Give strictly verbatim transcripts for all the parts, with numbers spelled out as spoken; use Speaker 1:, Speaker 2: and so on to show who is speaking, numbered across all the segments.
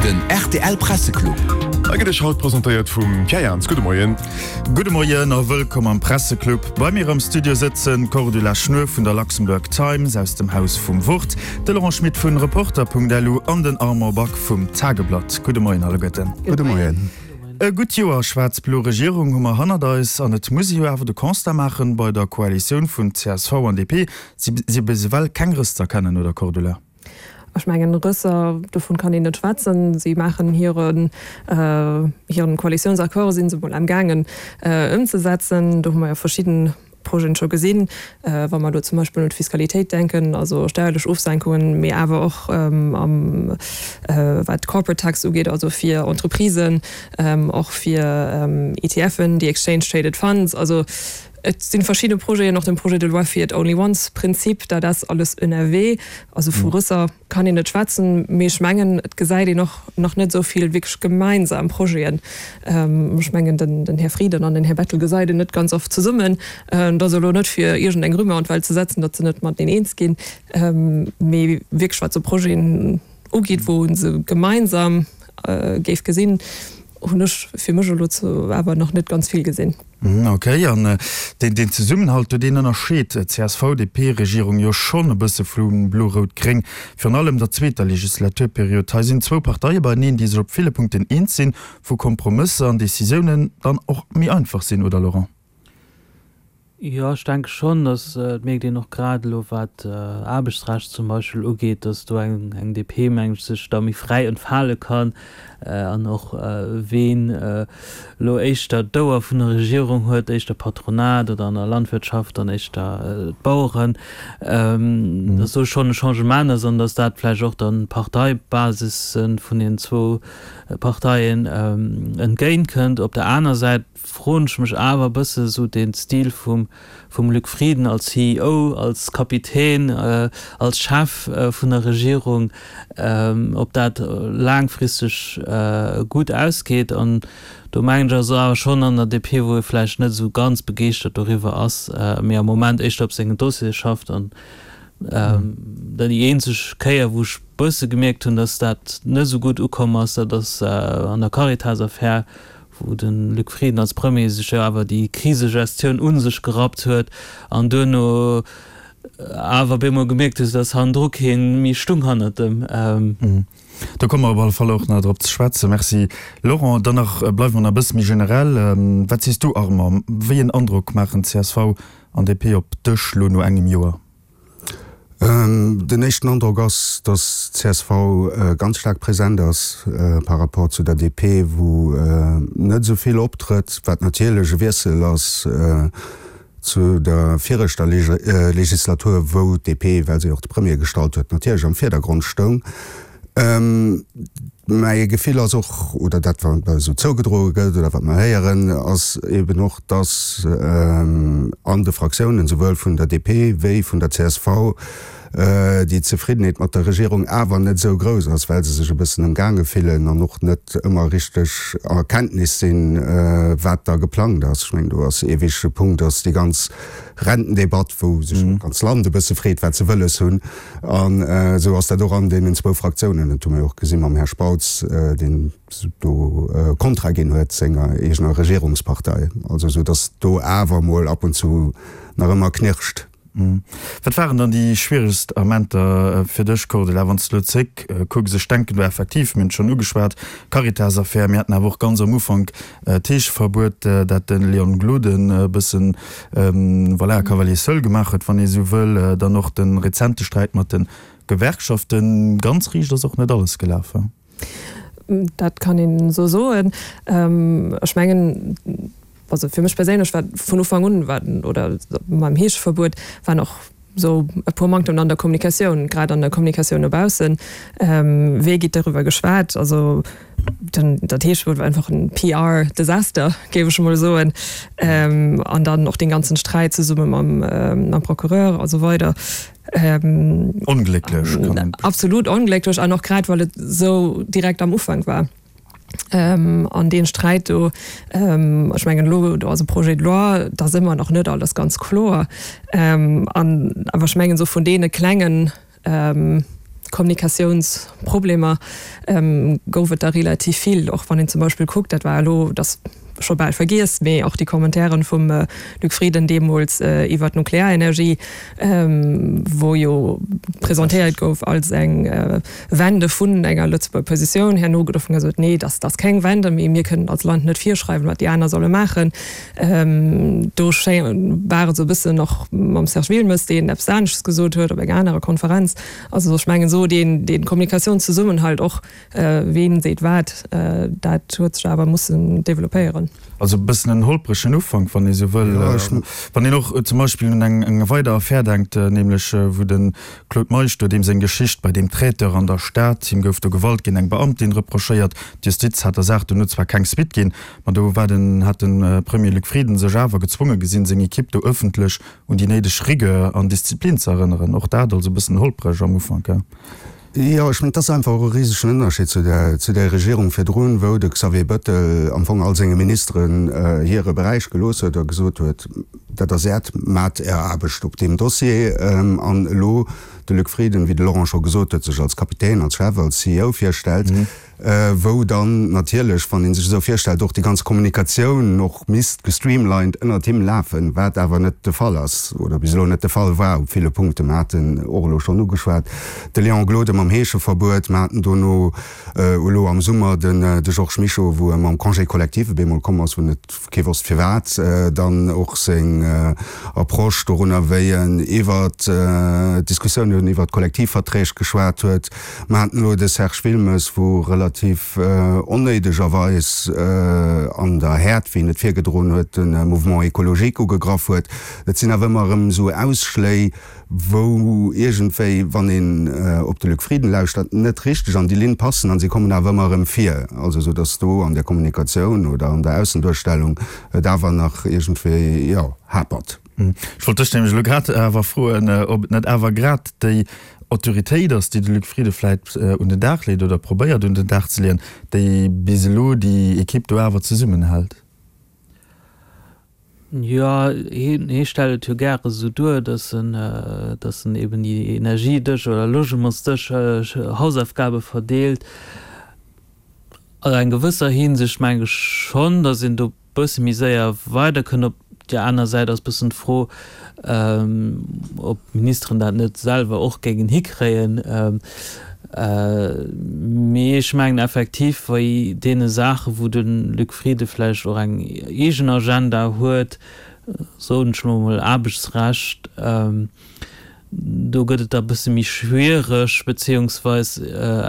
Speaker 1: Den rtl Presseclub.
Speaker 2: A gëtt iech haut presentéiert vum Pierre Jans. Gudde Moien.
Speaker 3: Gudde Moien a wëllkomm am Presseclub. Bei mir am Studio sëtzen d'Cordula Schnuer vun der Luxembourg Times aus dem Haus vum Wort, de Laurent Schmit vun Reporter.lu an den Armand Back vum Tageblatt. Gudde Moien alleguerten.
Speaker 4: Gudde Moien.
Speaker 3: E gutt Joer schwaarz-blo Regierung hu mer hannert eis an et muss ee jo awer de Constat maachen, bei der Koalitioun vun csv an DP si bis ewell keng Rëss z'erkennen, oder Cordula?
Speaker 5: Ech mengen, Rësser, dovun kann een net schwätzen. Si maachen hiren, hiren Koalitiounsaccord si se mol amgaangen ëmzesetzen. Do hu mer jo verschidden Projeten scho gesinn, wa mer elo zum Beispill un d'Fiskalitéit denken, also steierlech Ofsenkungen, mee awer och am wat d'Corporate Tax ugeet, also fir Entreprisen, och fir ETFen, déi Exchange Traded Funds. Also et si verschidde Projeten, och den Projet de loi fir d'Only-Once-Prinzip, dat ass alles ënnerwee. Also vu Rësser kann een net schwätzen, mee ech mengen, et gesäit een och nach net esou vill wierklech gemeinsam Projeten. Ech mengen, den Här Frieden an den Här Bettel gesäit een net ganz oft zesummen. Et ass elo net fir iergendeng Rumeur an d'Welt ze setzen, datt se net mateneen eens ginn, mee wierklech wat esou Projeten ugeet, wou ee se gemeinsam géif gesinn, hunn ech fir mech elo awer nach net ganz vill gesinn.
Speaker 3: Ok, an deen Zesummenhalt do, deen ënnerscheet d'CSV-DP-Regierung jo schonn e bësse vu Blo-Rout-Gréng, virun allem der zweeter Legislaturperiod. Hei sinn zwou Parteie beieneen, déi sech op ville Punkten eens sinn, wou Kompromësser an Decisiounen dann och méi einfach sinn, oder Laurent?
Speaker 6: Jo, ech denke schonn, datt, et mierkt een och grad elo wat Aarbechtsrecht zum Beispill ugeet, datt do eng eng DP, meng ech, sech da méi fräi entfale kann an och ween elo éischter d'Ouer vun der Regierung huet, éischter Patronat oder an der Landwirtschaft dann éischter d'Baueren, datt do schonn e Changement ass an datt dat vläicht och dann d'Parteibasisse vun den zwou Parteien entgéintkënnt. Op der aner Säit froen ech mech awer e bësse sou dee Stil vum vum Luc Frieden als CEO, als Kapitän, als Chef vun der Regierung, ob dat laangfristeg gutt ausgeet. An do mengen ech ass awer schonn an der DP, wou ee vläicht net esou ganz begeeschtert doriwwer ass, mee am Moment éischter op sengen Dossiere schafft. An déi eenzeg Kéier, wou ech bësse gemierkt hunn, datt dat net esou gutt ukomm ass, dat ass an der Caritas-Affär, wou de Luc Frieden als Premier sech jo awer déi Krisegestioun u sech gerappt huet an duerno awer op eemol gemierkt huet, datt hannendru kee méi stung hannert em.
Speaker 3: Do komme mer op alle Fall och nach drop ze schwätzen. Merci Laurent. Dann nach, bleiwe mer nach e bësse méi generell. Wat sees du Armand, wéi en Androck maachen csv an DP op dech lo no engem Joer?
Speaker 4: Den éischten Androck ass, datt csv ganz staark present ass par rapport zu der DP, wou net esou vill optrëtt, wat natierlech e Wiessel ass zu der viregter Legislatur, wou d'DP, well se och de Premier gestallt huet, natierlech am Virdergrond stoung. Mäi Gefill ass och, oder dat wat mer esou zougedroe gëtt oder wat mer héieren, ass eben och, datt an de Fraktiounen, souwuel vun der DP wéi vun der csv, déi Zefriddenheet mat der Regierung awer net esou grouss ass, well se sech e bëssen ëmgaange fillen an och net ëmmer richteg a Kenntnis sinn, wat da geplangt ass. Ech mengen, do ass ee wichtege Punkt, ass déi ganz Rentendebatt, wou sech och d'ganz Land e bësse freet, wat se wëlles hunn. An esou ass dat och an deenen zwou Fraktiounen. Dat hu mer jo och gesi mam Här Spautz, deen do Kontra ginn huet senger eegener Regierungspartei. Also esou datt do awer emol ab und zu nach ëmmer knirscht.
Speaker 3: Wat waren dann déi schwieregst Amenter fir dech, Cordula, wann s de elo zréck kucks? Ech denken do effektiv, mir hunn et schonn ugeschwat, d'Caritas-Affär, mir haten awer och ganz am Ufank d'Heescheverbuet, dat de Leon Gloden e bëssen, voilà, Cavalier seul gemaach huet, wann ee sou wëll, dann och de rezente Sträit mat de Gewerkschaften. Ganz riicht ass och net alles gelaf, he?
Speaker 5: Dat kann een esou soen. Ech mengen, also fir mech perséinlech war vun Ufank un, war oder mam Heescheverbuet waren och esou e puer Manktemen an der Kommunikatioun, grad an der Kommunikatioun no baussen. Wéi geet doriwwer geschwat? Also den, dat Heescheverbuet war einfach en PR-Desaster, géif ech emol soen. An dann och dee ganzen Sträit zesumme mam, mam Procureur a sou weider.
Speaker 3: Onglécklech kann een.
Speaker 5: Absolut onglécklech an och grad well et esou direkt am Ufank war. An dee Sträit do, ech mengen elo, do ass e Projet de loi, et ass ëmmer nach net alles ganz kloer. An awer ech mengen esou vun deene klengen Kommunikatiounsproblemer gouf et der relativ vill, och wann een zum Beispill kuckt, dat war elo, dat scho bal vergiess, mee och déi Commentairen vum Luc Frieden deemools iwwert d'Nuklearenergie, wou jo presentéiert gouf als eng Wende vun enger Lëtzebuerger Positioun. Herno gëtt dovun gesot, nee, dat ass keng Wende, mee mir kënnen als Land net virschreiwen, wat déi aner solle maachen. Do war et esou e bëssen och mam Serge Wilmes, deen eppes anesches gesot huet op enger anerer Konferenz. Also ech mengen esou deen, dee Kommunikatiounszesummenhalt och, ween seet wat, dat huet sech awer mussen developpéieren.
Speaker 3: Also e bëssen en holpregen Ufank, wann ee sou wëll. Wann een och zum Beispill un eng, eng weider Affär denkt, nämlech wou de Claude Meisch do, deem seng Geschicht bei deem Traiteur an der Stad, him gouf do Gewalt géint eng Beamtin reprochéiert, d'Justiz hat der Saach dono zwar keng Suite ginn, ma do war den, hat de Premier Luc Frieden sech awer gezwonge gesinn, seng Ekipp do ëffentlech un déi néideg Rigueur an Disziplin ze erënneren. Och dat also e bëssen holpreg am Ufank, he?
Speaker 4: Jo, ech mengen, et ass einfach och e risegen Ënnerscheed zu der, zu där Regierung virdrun, wou de Xavier Bettel am Fong all senge Ministeren hire Beräich gelooss huet a gesot huet, Dat ass Äert, maacht Är Aarbecht op deem Dossier. An elo de Luc Frieden, wéi de Laurent scho gesot huet, sech als Kapitän, als Chef, als C E O virstellt, wou dann natierlech, wann ee sech esou virstellt, och déi ganz Kommunikatioun och misst gestreamlined ënnert him lafen, wat awer net de Fall ass oder bis elo net de Fall war op ville Punkten. Mer haten och elo schonn ugeschwat de Léon Gloden mam Heescheverbuet, mer haten dono elo am Summer den de Georges Mischo, wou e mam Congé collectif op eemol komm ass, wou net kee wosst firwat, dann och seng Approche dorunner, wéi en iwwert d'Diskussiounen iwwert d'Kollektivverträg geschwat huet. Mer haten elo de Serge Wilmes, wou relativ onnéidegerweis an der Häert, wéi en et virgedroen huet, de Mouvement écologique ugegraff huet. Dat sinn awer ëmmer erëm esou Ausschléi, wou iergendwéi, wann een op de Luc Frieden lauschtert, net richteg an déi Linn passen an si kommen awer ëmmer erëm vir. Also esou datt do an der Kommunikatioun oder an der Aussenduerstellung et awer nach iergendwéi, jo, hapert.
Speaker 3: Ech wollt dech nämlech elo grad awer froen, ob et net awer grad déi Autoritéit ass, déi de Luc Frieden vläit un den Dag leet oder probéiert un den Dag ze leeën, déi bis elo déi Ekipp do awer zesummenhält.
Speaker 6: Jo, hie stellt et jo gäre esou duer, datt en, datt en eben déi Energiedësch oder Logementsdësch Hausaufgabe verdeelt. An eng gewësser Hinsicht meng ech schonn, datt een do bësse méi séier weiderkënnt. Op där aner Säit ass bëssen d'Fro, ob d'Ministeren dat net selwer och géingen hikréien. Mee ech mengen effektiv, bei deene Saachen, wou de Luc Frieden vläicht och eng eegen Agenda huet, soen ech elo emol Aarbechtsrecht, do gëtt et da e bësse méi schwiereg, beziehungsweis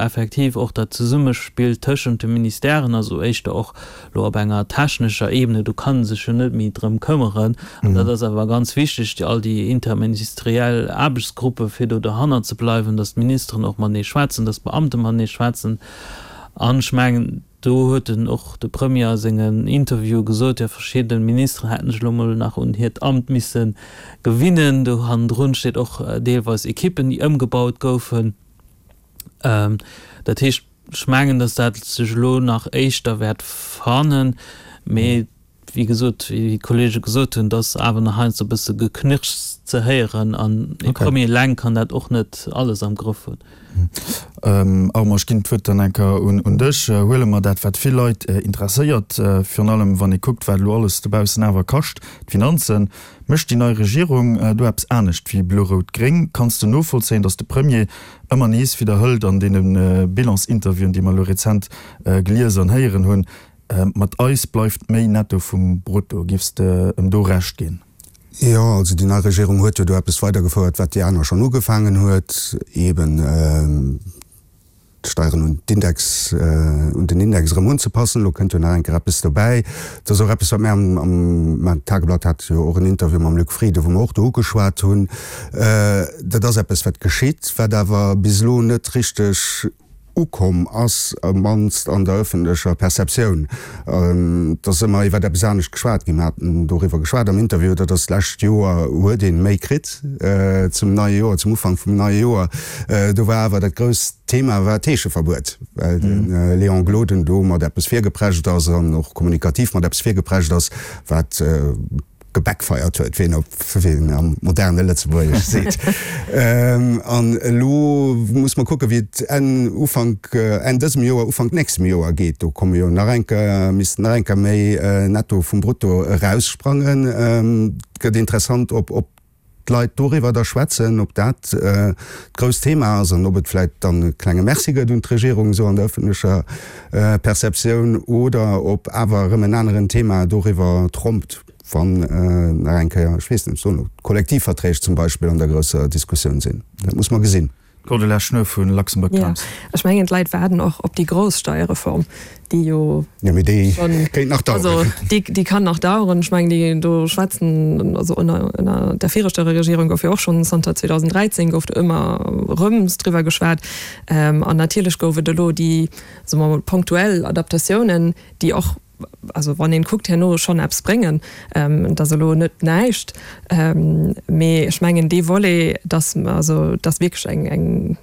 Speaker 6: effektiv och dat Zesummespill tëschent de Ministèren, also éischter och elo op enger technescher Ebene, do kann e sech jo net méi drëm këmmeren. An dat ass awer ganz wichteg, déi all déi interministeriell Aarbechtsgruppe fir do derhannert ze bleiwen, datt d'Ministeren och matenee schwätzen, datt d'Beamte matenee schwätzen. An ech mengen, do huet en och de Premier a sengen Interviewe gesot, jo verschidde Ministeren hätten sech elo mol nach un hiert Amt misse gewinnen. Do hannendrun steet och deelweis Ekippen, déi ëmgebaut goufen. Dat heescht, ech mengen, datt dat sech elo nach éischter wäert fannen. Mee wéi gesot, wéi d'Kollege gesot hunn, et ass awer nach heiansdo e bësse Geknirschs ze héieren an e Premier eleng kann dat och net alles am Grëff hunn.
Speaker 3: Armand, ech ginn d'Wuert dann eng Kéier un dech. Huele mer dat, wat vill Leit interesséiert, virun allem wann ee kuckt, wat elo alles dobaussen awer kascht, d'Finanzen. Mécht déi nei Regierung do eppes anescht wéi Blo-Rout-Gréng? Kanns de novollzéien, datt de Premier ëmmer nees widderhëlt an deene Bilans-Interviewen, déi mer elo rezent gelies an héieren hunn, Mat eis bleift méi netto vum Brutto. Giffs de em do Recht ginn?
Speaker 4: Jo, also déi nei Regierung huet jo do eppes weidergefouert, wat déi aner schonn ugefaangen huet, eeben d'Steieren un d'Index, un den Index erëm unzepassen. Elo kënnt jo nach eng Kéier eppes dobäi. Dat ass och eppes, wat mir am, am, mä d'Tageblatt hat jo och en Interview mam Luc Frieden, wou mer och do ugeschwat hunn. Dat ass eppes, wat geschitt, wat awer bis elo net richteg ukomm ass, op d'mannst an der ëffentlecher Perceptioun. Et ass ëmmer iwwer eppes anescht geschwat ginn. Mir haten doriwwer geschwat am Interview, dat ass d'lescht Joer huet ee méi kritt zum neie Joer, zum Ufank vum neie Joer. Do war awer dat grousst Thema war d'Heescheverbuet, well de Léon Gloden do mat eppes virgeprescht ass an och kommunikativ mat eppes virgeprescht ass, wat, gebackfired huet, wéi een op wéi een am moderne Lëtzebuergesch seet. An elo muss mer kucken, wéi et Enn, Ufank, Enn dësem Joer, Ufank nächstem Joer geet. Do komme jo nach eng Kéier, missten nach eng Kéier méi Netto vum Brutto eraussprangen. Et gëtt interessant, ob, ob d'Leit doriwwer da schwätzen, ob dat d'grousst Thema ass an ob et vläicht dann e klenge Merci gëtt un d'Regierung esou an der ëffentlecher Perceptioun oder ob awer erëm en aneren Thema doriwwer trompt, wann nach eng Kéier, ech weess net, soen elo, d'Kollektivverträg zum Beispill an der grousser Diskussioun sinn. Dat muss mer gesinn.
Speaker 3: D'Cordula Schnuer vu Luxembourg Times.
Speaker 5: Jo, ech mengen, d'Leit waarden och op déi grouss Steierreform, déi jo
Speaker 4: Jo, mee déi kéint nach daueren.
Speaker 5: Also, déi, déi kann nach daueren. Ech mengen, déi do schwätzen, also ënner, ënner der viregter Regierung gouf jo och schonn zanter zweedausenddräizéng gouf do ëmmer erëm driwwer geschwat. An natierlech gouf et elo déi, soe mer mol, punktuell Adaptatiounen, déi och, also wann een kuckt herno, schonn eppes bréngen. Et ass elo net näischt, mee ech mengen dee Volet, dass also dass wierklech eng eng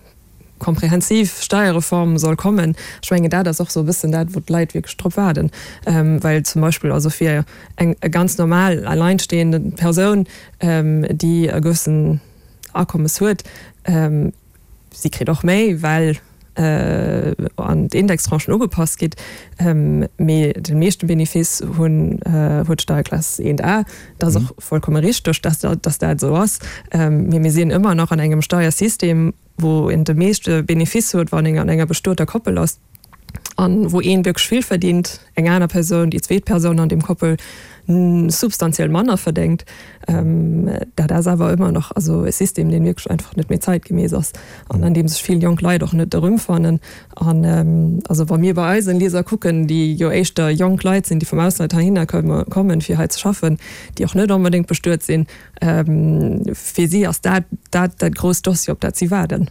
Speaker 5: komprehensiv Steierreform soll kommen, ech mengen dat ass och esou e bëssen dat, wou d'Leit wierklech drop waarden. Well zum Beispill also fir eng ganz normal alleinstehende Persoun, déi e gewëssen Akommes huet, si kritt och méi, well an d'Indextranchen ugepasst gitt, mee de meeschte Benefice hunn huet d'Steierklass eent A. Dat ass och vollkomme richteg, dass dass dat esou ass, mee mir sinn ëmmer nach an engem Steiersystem, wou een de meeschte Benefice huet, wann een an enger bestueter Koppel ass an wou een wierklech vill verdingt, eng aner Persoun, déi zweet Persoun an deem Koppel, substantiell manner verdéngt. Dat ass awer ëmmer nach also e System, deen wierklech einfach net méi zeitgemäss ass an an deem sech vill jonk Leit och net erëmfannen. An also wa mir bei eisen Lieser kucken, déi jo éischter jonk Leit sinn, déi vum Ausland heihinner kommen, fir hei ze schaffen, déi och net onbedéngt bestuet sinn, fir si ass dat dat dat grousst Dossier, op dat si waarden.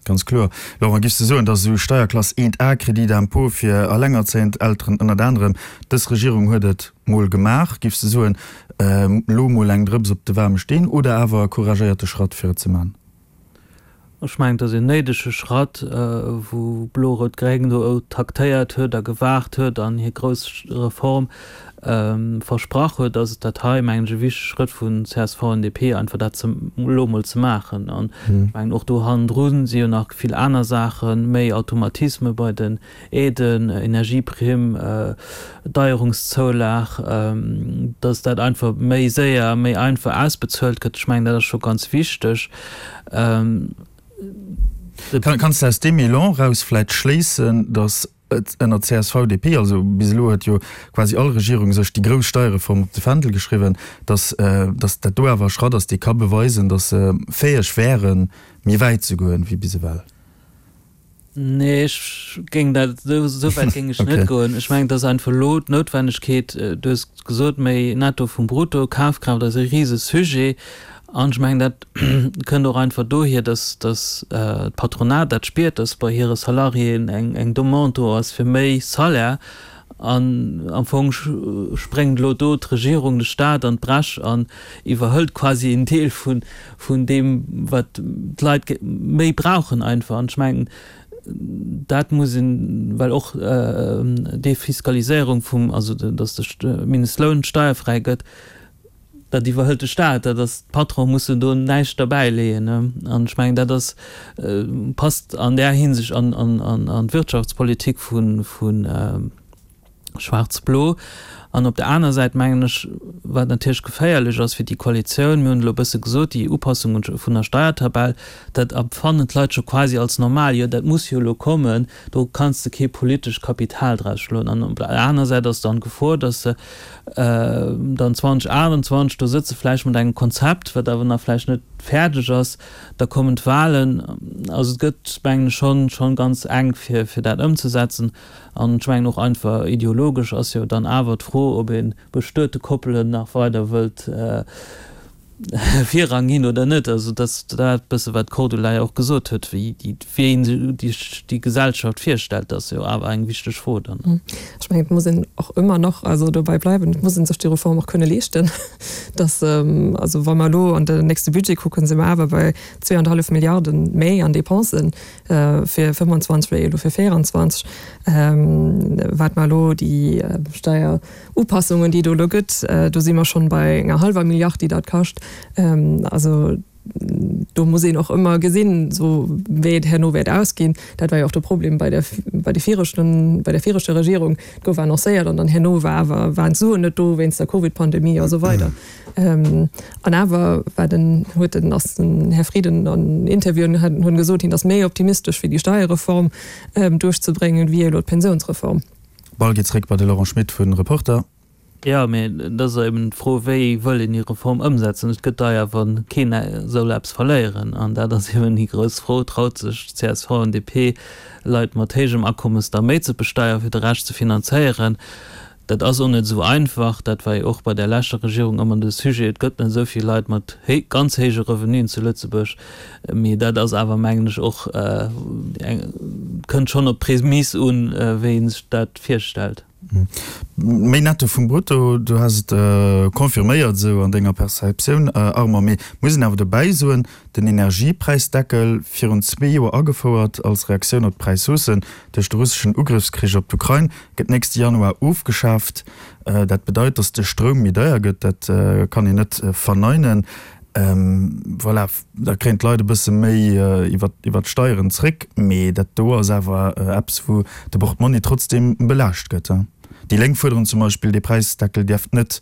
Speaker 3: Ganz kloer. Laurent, giffs de soen, datt esou Steierklass eent A, Crédit d'impôt fir allengerzéiend Elteren ënnert anerem, dës Regierung huet et mol gemaach, giffs de soen, elo mol eng Drëps op de waarme Steen oder awer e couragéierte Schratt fir et ze man?
Speaker 6: Ech mengen, et ass een néidege Schratt, wou Blo-Rout-Gréng do taktéiert huet a gewaart huet an hir grouss Reform versprach huet, ass et dat hei, mengen ech, e wichtege Schrëtt vun csv an D P, einfach dat ze elo emol ze maachen. An ech mengen, och do hannendru si jo nach vill aner Saachen, méi Automatisme bei den Aiden, Energieprimm, Deierungszoulag, dass dat einfach méi séier, méi einfach ausbezuelt gëtt. Ech mengen, dat ass scho ganz wichteg.
Speaker 3: Kanns de aus deem Elan eraus vläicht schléissen, dass et ënner C S V D P, also bis elo huet jo quasi all Regierung sech déi grouss Steierreform op de Fändel geschriwwen, dass dass dat do awer e Schratt ass, dee ka beweisen, dass se fäeg wären, méi wäit ze goen wéi bis ewell?
Speaker 6: Nee, ech géing dat, esou wäit géing ech net goen. Ech mengen, et ass einfach elo d'Noutwennegkeet, du hues gesot, méi Netto vum Brutto, Kafkraaft ass e rise Sujet. An ech mengen, dat kënnt och einfach dohier, dass dass d'Patronat dat spiert, dass bei hire Salariéen eng eng Demande do ass fir méi Salaire. An am Fong spréngt elo do d'Regierung, de Stat an d'Bresch an iwwerhëlt quasi en Deel vun vun deem, wat d'Leit méi brauchen einfach. An ech mengen, dat muss een, well och d'Defiscaliséierung vum, also dass de Mindestloun steierfräi gëtt, dat iwwerhëlt de Staat, dat ass, d'Patronen mussen do näischt derbäileeën. An ech mengen, dat ass, passt an där Hinsicht an an d'Wirtschaftspolitik vu vu Schwaarz-Blo. An op der aner Säit mengen ech, wat natierlech geféierlech ass fir déi Koalitioun, mir hunn elo e bësse gesot, déi Upassung vun der Steiertabell, dat empfannen d'Leit scho quasi als normal, jo dat muss jo elo kommen, do kanns de kee politescht Kapital draus schloen. An op der aner Säit ass dann d'Gefor, datt se dann zweedausendachtundzwanzeg do sëtze vläicht mat engem Konzept, wat awer nach vläicht net fäerdeg ass, da kommen d'Wahlen. Also et gëtt, mengen ech, schonn schonn ganz enk fir fir dat ëmzesetzen. An ech mengen och einfach ideologesch ass jo dann awer d'Fro, ob ee bestuete Koppelen nach weider wëllt Virrang ginn oder net. Also dass dat bësse wat d'Cordula jo och gesot huet, wéi déi wéi een sech déi Gesellschaft virstellt, dat ass jo awer eng wichteg Fro dann.
Speaker 5: Ech mengen, et muss een och ëmmer nach also dobäi bleiwen, et muss ee sech déi Reform och kënne leeschten. Dass also wa mer elo an den nächste Budget kucken, si mer awer bei zwee an e hallef Milliarden méi an Dépensen fir fëmmendzwanzeg wéi elo fir véieranzwanzeg, wat mer elo déi Steierupassungen, déi et do elo gëtt, do si mer schonn bei enger hallwer Milliard, déi dat kascht. Also do muss een och ëmmer gesinn, esou wéi et herno wäert ausginn. Dat war jo och de Problem bei der, bei de viregten, bei der viregter Regierung. Et gouf annoncéiert an dann herno war awer, waren d'Suen net do wéinst der Covid-Pandemie a sou weider. An awer war den, huet den, ass den Här Frieden an Interviewen hunn gesot, hien ass méi optimistesch fir déi Steierreform duerchzebréngen, wéi elo d'Pensiounsreform.
Speaker 3: Ball geet zréck bei de Laurent Schmit vu Reporter.
Speaker 6: Jo, mee et ass eben d'Fro, wéi wëll een déi Reform ëmsetzen? Et gëtt deier, wa keen soll eppes verléieren. An dat ass eben déi grouss Fro, Traut sech csv an D P, Leit mat héijem Akommes da méi ze besteieren, fir de Rescht ze finanzéieren? Dat ass och net esou einfach. Dat war jo och bei der leschter Regierung ëmmer de Sujet. Et gëtt net esou vill Leit mat ganz héije Revenuen zu Lëtzebuerg. Mee dat ass awer, mengen ech, och eng, kënnt schonn op d'Prämiss un, wéi ee sech dat virstellt.
Speaker 3: Méi Netto vum Brutto, du has et confirméiert esou an denger Perceptioun, Armand. Mee muss een awer dobäi soen, den Energiepräisdeckel, virun zwee Joer agefouert als Reaktioun op d'Präishaussen duerch de russeschen Ugrëffskrich op d'Ukrain, gëtt nächste Januar ofgeschaaft. Dat bedeit, datt de Stroum méi deier gëtt, dat kann een net verneinen. Voilà, da kréien d'Leit e bësse méi iwwer d'Steieren zréck, mee dat do ass awer eppes, wou de Portmonni trotzdeem belaascht gëtt. Déi Lénk fuerderen zum Beispill, dee Präisdeckel dierft net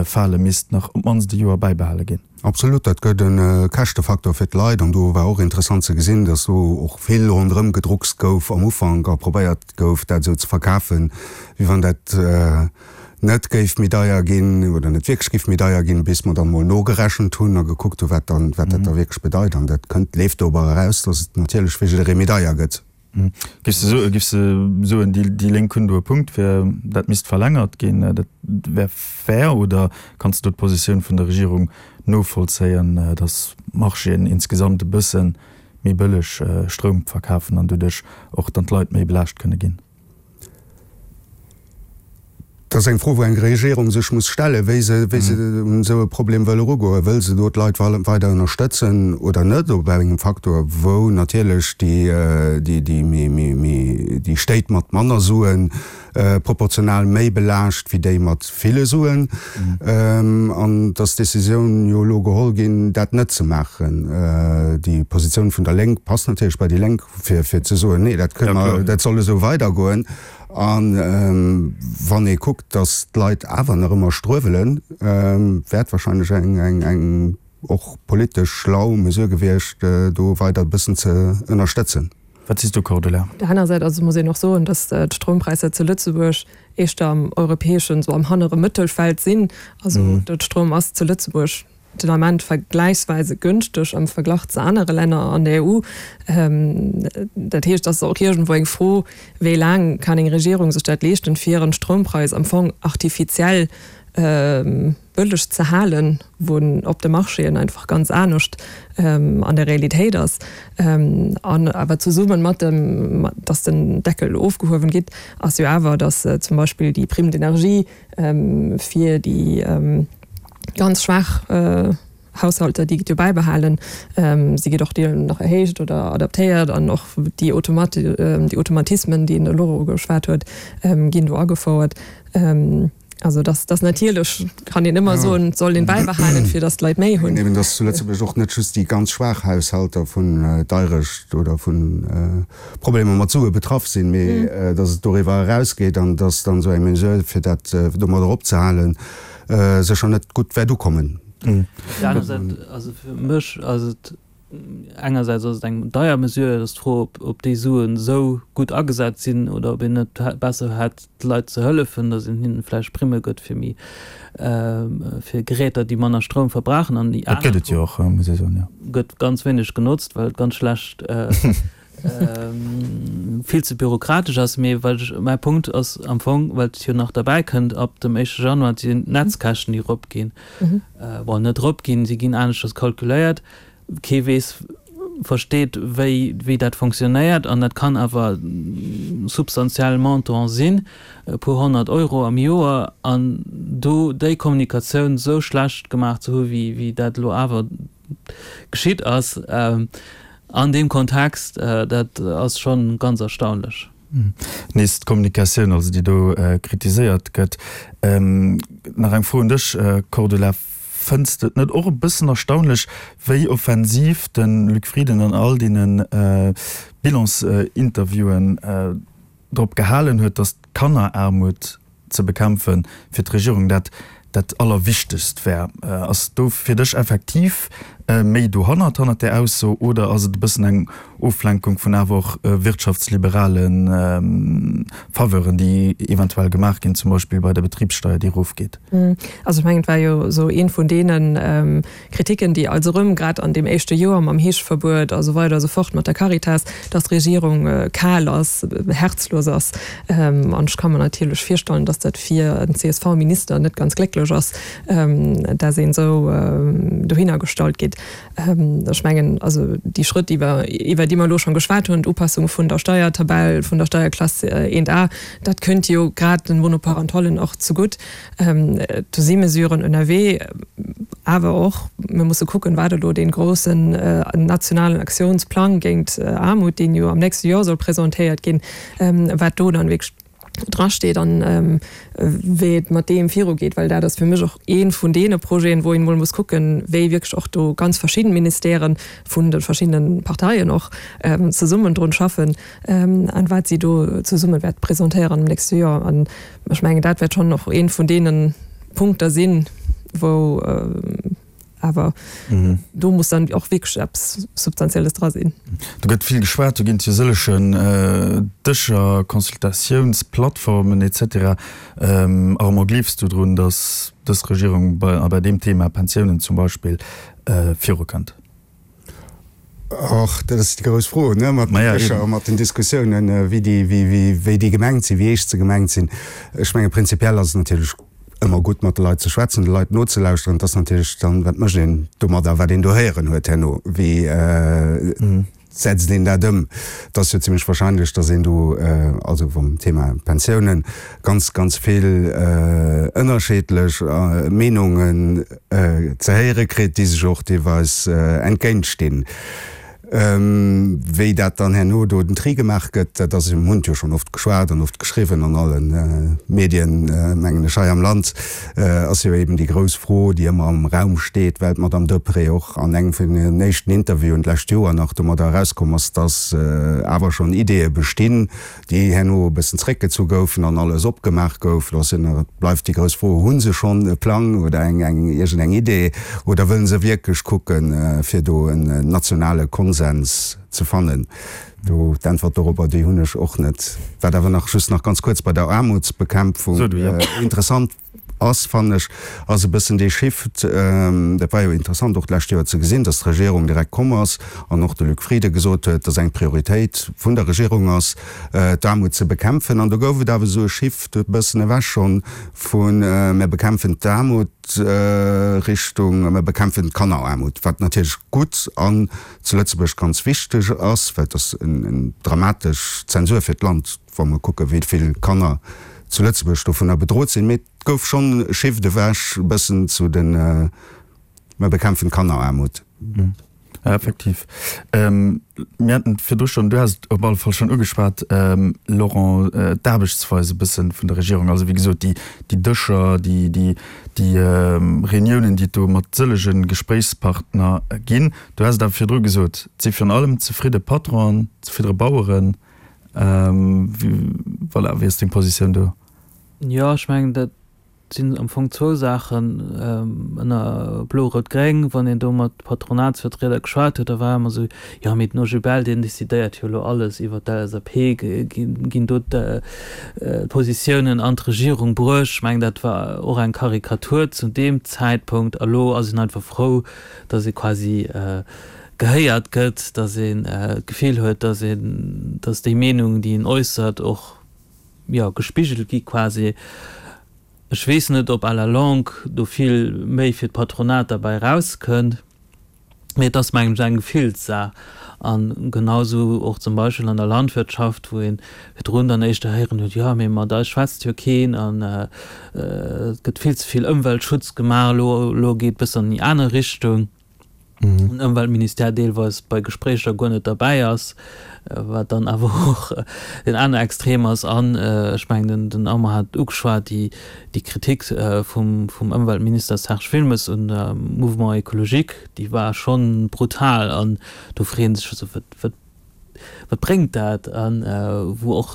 Speaker 3: falen, misst nach op d'mannst e Joer bäibehale ginn.
Speaker 4: Absolut, dat gëtt e Käschtefaktor fir d'Leit. An do war och interessant ze gesinn, datt do och vill ronderëm gedruckst gouf am Ufank a probéiert gouf, dat esou ze verkafen, wéi wann dat net géif méi deier ginn oder net wierklech géif méi deier ginn, bis mer dann emol nogerechent hunn a gekuckt hunn, wat dann, wat dat da wierklech bedeit. An dat kënnt, leeft dober eraus, dass et natierlech fir jidderee méi deier gëtt.
Speaker 3: Géifs de soen, géifs de soen, déi, déi Lénk hunn do e Punkt, fir dat misst verlängert ginn, dat wär fair, oder kanns de do d'Positioun vun der Regierung novollzéien, dass d'Marchéen insgesamt e bësse méi bëlleg Stroum verkafen an doduerch och dann d'Leit méi belaascht kënne ginn?
Speaker 4: Dat ass eng Fro, wou eng Regierung sech muss stellen, wéi se, wéi se un esou e Problem wëll erugoen. Wëll se do d'Leit weider ënnerstëtzen oder net? Op engem Faktor, wou natierlech déi, déi, déi méi, méi, méi, déi Stéit mat manner Suen proportional méi belaascht wéi déi mat ville Suen. An et ass d'Decisioun jo elo geholl ginn, dat net ze maachen. Déi Positioun vun der Lénk passt natierlech bei déi Lénk, fir, fir ze soen, Nee, dat kënne mer, dat soll esou weidergoen. A wann ee kuckt, datt d'Leit awer nach ëmmer struewelen, wär et wahrscheinlech eng eng och politesch schlau Mesure gewiescht, do weider e bëssen ze ënnerstëtzen.
Speaker 3: Wat sees du, Cordula?
Speaker 5: Op der aner Säit also muss een och soen, datt d'Stroumpräisser zu Lëtzebuerg éischter am europäeschen, sou am hannere Mëttelfeld sinn. Also de Stroum ass zu Lëtzebuerg den Ament vergläichsweise günschteg am Verglach zu anere Länner an der E U. Dat heescht, et ass och iergendwou eng Fro, wéi laang kann eng Regierung sech dat leeschten, fir en Stroumpräis am Fong artifiziell bëlleg ze halen, wou en op de Marchéen einfach ganz anescht an der Realitéit ass. An awer zesumme mat dem, dass den Deckel ofgehuewen gitt, ass jo awer, dass zum Beispill déi Prime d'énergie fir déi ganz schwaach Haushalter, déi gëtt jo bäibehalen, si gëtt och deelweis nach erhéicht oder adaptéiert an och déi déi Automatismen, déi den Laurent geschwat huet, ginn do agefouert. Also dass dass natierlech kann een ëmmer soen, et soll een bäibehalen, fir dass d'Leit méi hunn.
Speaker 4: Eben, dass zu Lëtzebuerg och net just déi ganz schwaach Haushalter vun Deirecht oder vu Problemer mat Sue betraff sinn, mee dass et doriwwer erausgeet an dass dann esou eng Mesure, fir dat domadder opzehalen, sécher net gutt wäert ukommen.
Speaker 6: Op der aner Säit, also fir mech ass et engersäits ass et eng deier Mesure, et ass d'Fro, ob ob déi Suen esou gutt agesat sinn oder ob een net besser hätt d'Leit ze hëllefen, datt een hinnen vläicht Primme gëtt fir méi fir Geräter, déi manner Stroum verbrauchen. An déi
Speaker 3: Dat gëtt
Speaker 6: aner
Speaker 3: et jo
Speaker 6: Fro
Speaker 3: och, muss ee soen, jo.
Speaker 6: gëtt ganz wéineg genotzt, well et ganz schlecht vill ze bürokratesch ass. Mee wat ech, mäi Punkt ass am Fong, well et jo nach derbäi kënnt, ab dem éischte Januar sinn d'Netzkäschten, déi eropginn, bon, net eropginn, si ginn aneschters kalkuléiert, kee weess, versteet, wéi, wéi dat fonctionnéiert an dat kann awer substantiell Montant sinn, e puer honnert Euro am Joer, an do déi Kommunikatioun esou schlecht gemaach ze hu wéi, wéi dat elo awer geschitt ass an deem Kontext, dat ass scho ganz erstaunlech.
Speaker 3: Nees d'Kommunikatioun also, déi do kritiséiert gëtt. Nach eng Fro un dech, Cordula, Fënns de et net och e bëssen erstaunlech, wéi offensiv de Luc Frieden an all deene Bilans-Interviewen drop gehalen huet, datt d'Kanneraarmut ze bekämpfe fir d'Regierung dat dat Allerwichtegst wär? Ass do fir dech effektiv méi dohannert, hannert där Ausso, oder ass et e bëssen eng Oflenkung vun awer och wirtschaftsliberale Faveuren, déi eventuell gemaach ginn, zum Beispill bei der Betribssteuer, déi erofgeet?
Speaker 5: Also ech mengen, et war jo esou eent vun deene Kritiken, déi also erëm grad an deem éischte Joer mam Heescheverbuet a sou weider a sou fort mat der Caritas, dass d'Regierung kal ass, herzlos ass. An ech ka mer natierlech virstellen, dass dat fir en C S V-Minister net ganz glécklech ass, dass een esou dohinner gestallt gétt. Ech mengen, also déi Schrëtt, iwwer iwwer déi mer elo schonn geschwat hunn, d'Upassung vun der Steiertabell, vun der Steierklass eent A, dat kënnt jo grad den Monoparentallen och zegutt. Do si Mesuren ënnerwee, awer och, mir musse kucken, wat elo dee groussen nationalen Aktiounsplang géint Aarmut, deen jo am nächste Joer soll presentéiert ginn, wat do dann wierklech drasteet an wéi et mat deem virugeet, well dat ass fir mech och ee vun deene Projeten, wou een emol muss kucken, wéi wierklech och do ganz verschidden Ministèren vun de verschiddene Parteien och zesummen drun schaffen an wat si do zesumme wäerte presentéieren am nächste Joer. An ech mengen, dat wäert schonn och ee vun deene Punkter sinn, wou awer do muss dann och wierklech eppes Substantielles dra sinn.
Speaker 3: Do gëtt vill geschwat, do ginn et jo sëllegen Dëscher, Consultatiounsplattformen et cetera. Armand, gleefs du drun, datt dës Regierung bei bei deem Thema Pensiounen zum Beispill virukënnt?
Speaker 4: Och dat ass déi grouss Fro, ne, mat den Dëscher a mat den Diskussiounen, wéi déi, wéi, wéi déi gemengt sinn, wéi eescht se gemengt sinn. Ech menge prinzipiell ass et natierlech ëmmer gutt mat de Leit ze schwätzen, de Leit nozelauschteren. Et ass natierlech dann, wat mécht een domadder, wat een do héieren huet herno, wéi setzt een dat ëm? Et ass jo zimlech wahrscheinlech, datt een do, also vum Thema Pensiounen, ganz, ganz vill ënnerscheedlech Meenungen ze héiere kritt, déi sech och deelweis entgéintstinn. Wéi dat dann herno do den Tri gemaach gëtt, dat ass, mir hunn et jo schonn oft geschwat an oft geschriwwen an alle Medien, mengen ech, hei am Land, ass jo eben déi grouss Fro, déi ëmmer am Raum steet, well d'Madame Deprez och an engem vun hiren éischten Interviewen d'lescht Joer nach domadder erauskomm ass, dass awer schonn Ideeë bestinn, déi herno e bëssen zréckgezu goufen an alles opgemaach gouf. Lo ass jo nach, bleift déi grouss Fro, Hu se schonn e Plang oder eng, eng, iergendeng Idee oder wëllen se wierklech kucken, fir do en nationale Konsens ze fannen? Do, d'Äntwert dorobber, déi hunn ech och net. Wat awer nach, just nach ganz kuerz bei der Aarmutsbekämpfung interessant ass, fannen ech, ass e bëssen dee Shift, dat war jo interessant och d'lescht Joer ze gesinn, dass d'Regierung direkt komm ass an och de Luc Frieden gesot huet, dass eng Prioritéit vun der Regierung ass, d'Aarmut ze bekämpfen. An do gouf et awer esou e Shift e bëssen ewech schonn vu mir bekämpfen d'Aarmut Richtung mir bekämpfen d'Kanneraarmut, wat natierlech gutt an zu Lëtzebuerg ganz wichteg ass, well et ass eng dramatesch Zensur fir d'Land, wa mer kucken, wéi vill Kanner zu Lëtzebuerg dovunner bedrot sinn. Mee et gouf schonn e Shift ewech e bëssen zu den Mer bekämpfen d'Kanneraarmut.
Speaker 3: Ja, effektiv. Mir haten et virdru schonn, du has et op alle Fall schonn ugeschwat, Laurent, d'Aarbechtsweis e bësse vun der Regierung. Also wéi gesot, déi, déi Dëscher, déi, déi, déi Reuniounen, déi et do mat sëllege Gespréichspartner ginn. Du has et awer virdru gesot, et si virun allem zefridde Patronen, zefriddere Baueren. Voilà, wéi ass deng Positioun do?
Speaker 6: Jo, ech mengen, dat sinn am Fong zwou Saachen. Ënner Blo-Rout-Gréng, wann een do mat Patronatsvertrieder geschwat huet, da war ëmmer esou, jo, mee den O G B L, deen decidéiert jo elo alles iwwer d'L S A P, ginn do d'Positiounen an d'Regierung bruecht. Ech mengen, dat war och eng Karikatur zu deem Zäitpunkt. A lo ass een einfach frou, datt ee quasi gehéiert gëtt, datt een d'Gefill huet, datt een, datt déi Meenung, déi een äussert, och, jo, gespigelt gi quasi. Ech weess net, ob à la longue do vill méi fir d'Patronat derbäi erauskënnt, mee et ass, mengen ech, eng Gefillssaach. A genau esou och zum Beispill an der Landwirtschaft, wou ee virdrun dann éischter héieren huet, jo, mee mat eis schwätzt jo keen an et gëtt vill ze vill Ëmweltschutz gemaach, elo, elo geet et e bëssen an déi aner Richtung. Den Ëmweltministère deelweis bei Gespréicher guer net derbäi ass, wat dann awer och den aner Extrem ass. An ech mengen, den Armand hat et ugeschwat, déi Kritik vum Ëmweltminister Serge Wilmes un der Mouvement écologique, déi war schonn brutal. An do freet ee sech, also wat Wat bréngt dat? A wou och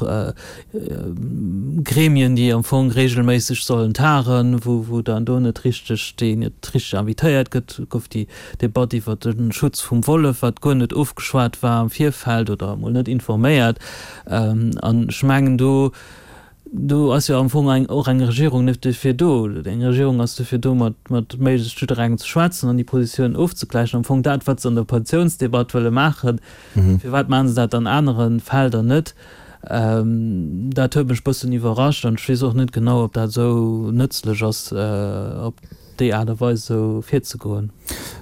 Speaker 6: Gremien, déi am Fong regelméisseg sollen tagen, wou dann do net richteg, déi net richteg invitéiert gëtt. Et gouf déi Debatt iwwer de Schutz vum Wollef, wat guer net ofgeschwat war am Virfeld oder emol net informéiert. An ech mengen do, Do ass jo am Fong eng, och eng Regierung net dofir do. Eng Regierung ass dofir do, mat, mat méiglechst jidderengem ze schwätzen an déi Positiounen ofzegläichen. Am Fong dat, wat se an der Pensiounsdebatt wëlle maachen, firwat maache se dat an anere Felder net? Dat huet mech e bëssen iwwerrascht an ech weess och net genau, ob dat esou nëtzlech ass, op déi Aart a Weis esou virzegoen.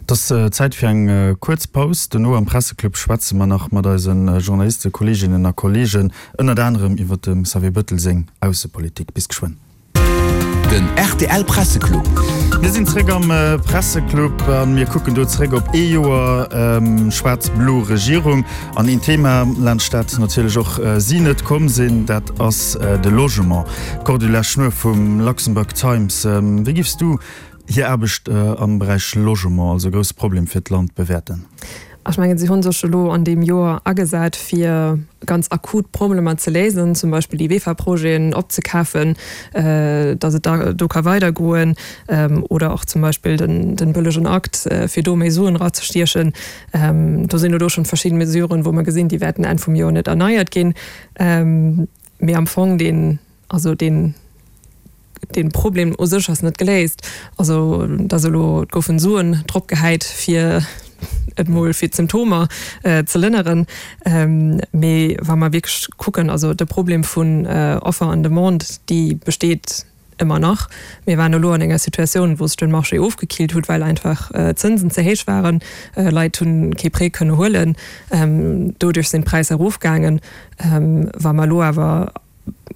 Speaker 3: Et ass Zäit fir eng kuerz Paus. Dono am Presseclub schwätze mer nach mat eise Journalistekolleeginnen a Kolleegen, ënnert anerem iwwer dem Xavier Bëttel seng Aussepolitik. Bis geschwënn.
Speaker 1: Den rtl Presseclub.
Speaker 3: Mir sinn zréck am Presseclub a mir kucken do zréck op ee Joer schwaarz-blo Regierung. An een Thema, laanscht dat natierlech och si net komm sinn, dat ass de Logement. Cordula Schnuer vum Luxembourg Times, wéi giffs du hir Aarbecht am Beräich Logement, also e grousse Problem fir d'Land, bewäerten?
Speaker 5: Ech mengen, si hu sech elo an deem Joer agesat, fir ganz akut Problemer ze léisen, zum Beispill déi VEFA-Projeten opzekafen, datt et da do ka weidergoen, oder och zum Beispill de bëllegen Akt, fir do méi Suen erazestiechen. Do sinn elo schonn verschidde Mesuren, wou mer gesinn, déi wäerten Enn vum Joer net erneiert ginn. Mee am Fong deen, also deen, Dee Problem u sech ass net geléist. Also et ass elo, et goufen Suen drop gehäit, fir et mol fir d'Symptomer ze lënneren. Mee wa mer wierklech kucken, also de Problem vun Offer an Demande, déi besteet ëmmer nach. Mir waren elo an enger Situatioun, wou sech de Marché ofgekillt huet, well einfach d'Zënsen ze héich waren. Leit hunn kee Prêt kënne huelen. Doduerch sinn d'Präisser erofgaangen. Wa mer elo awer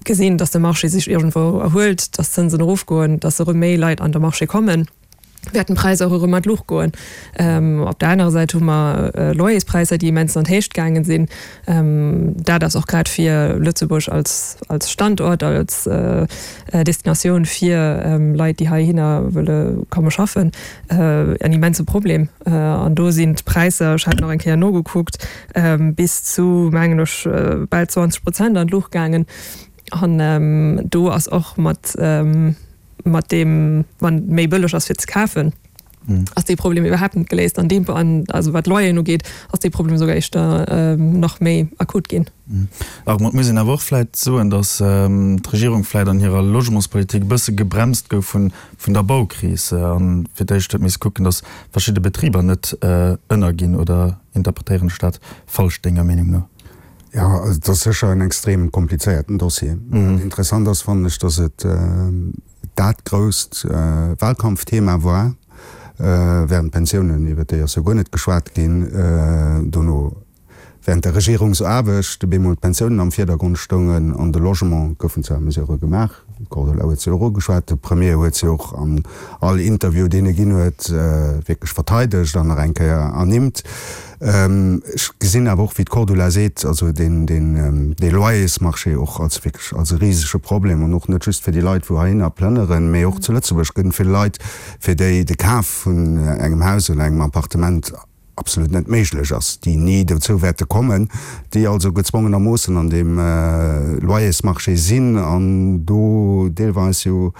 Speaker 5: gesinn, dass de Marché sech iergendwou erhuelt, dass d'Zënsen erofgoen, dass erëm méi Leit an de Marché kommen, wäerten d'Präisser och erëm an d'Luucht goen. Op der anerer Säit hu mer Loyerspräisser, déi immens an d'Héicht gaangen sinn. Dat ass och grad fir Lëtzebuerg als als Standort, als Destinatioun fir Leit, déi heihinner wëlle komme schaffen, en immense Problem. An do sinn d'Präisser, ech hat nach eng Kéier nogekuckt, bis zu, mengen ech, bal zwanzeg Prozent an d'Luucht gaangen. An do ass och mat mat deem, wann et méi bëlleg ass fir ze kafen, ass dee Problem iwwerhaapt net geléist. An deem, an also wat d'Loyeren ugeet, ass dee Problem esouguer éischter nach méi akut ginn.
Speaker 3: Armand, et muss een awer och vläicht soen, datt d'Regierung vläicht an hirer Logementspolitik e bësse gebremst gouf vun vun der Baukris an fir d'éischt huet misse kucken, datt verschidde Betriber net ënnerginn. Oder interpretéieren ech dat falsch denger Meenung no?
Speaker 4: Jo, also et ass sécher en extrem komplizéierten Dossier. Wat interessant ass, fannen ech, datt et dat grousst Wahlkampfthema war, während d'Pensiounen, iwwert déi ass jo guer net geschwat ginn, dono während der Regierungsaarbecht op eemol d'Pensiounen am Virdergrond stoungen an de Logement goufen zwar Mesurë gemaach, d'Cordula huet se jo och ugeschwat, de Premier huet se och an all Interview, deen e ginn huet, wierklech verteidegt an nach eng Kéier ernimmt. Ech gesinn awer och, wéi d'Cordula seet, also deen, deen, dee Loyersmarché och als wierklech als e risege Problem an och net just fir déi Leit, wou heihinner plënneren, mee och zu Lëtzebuerg gëtt et vill Leit, fir déi de Kaf vun engem Haus oder engem Appartement absolut net méiglech ass, déi ni dozou wäerte kommen, déi also gezwongenermoossen an deem Loyersmarché sinn an do deelweis jo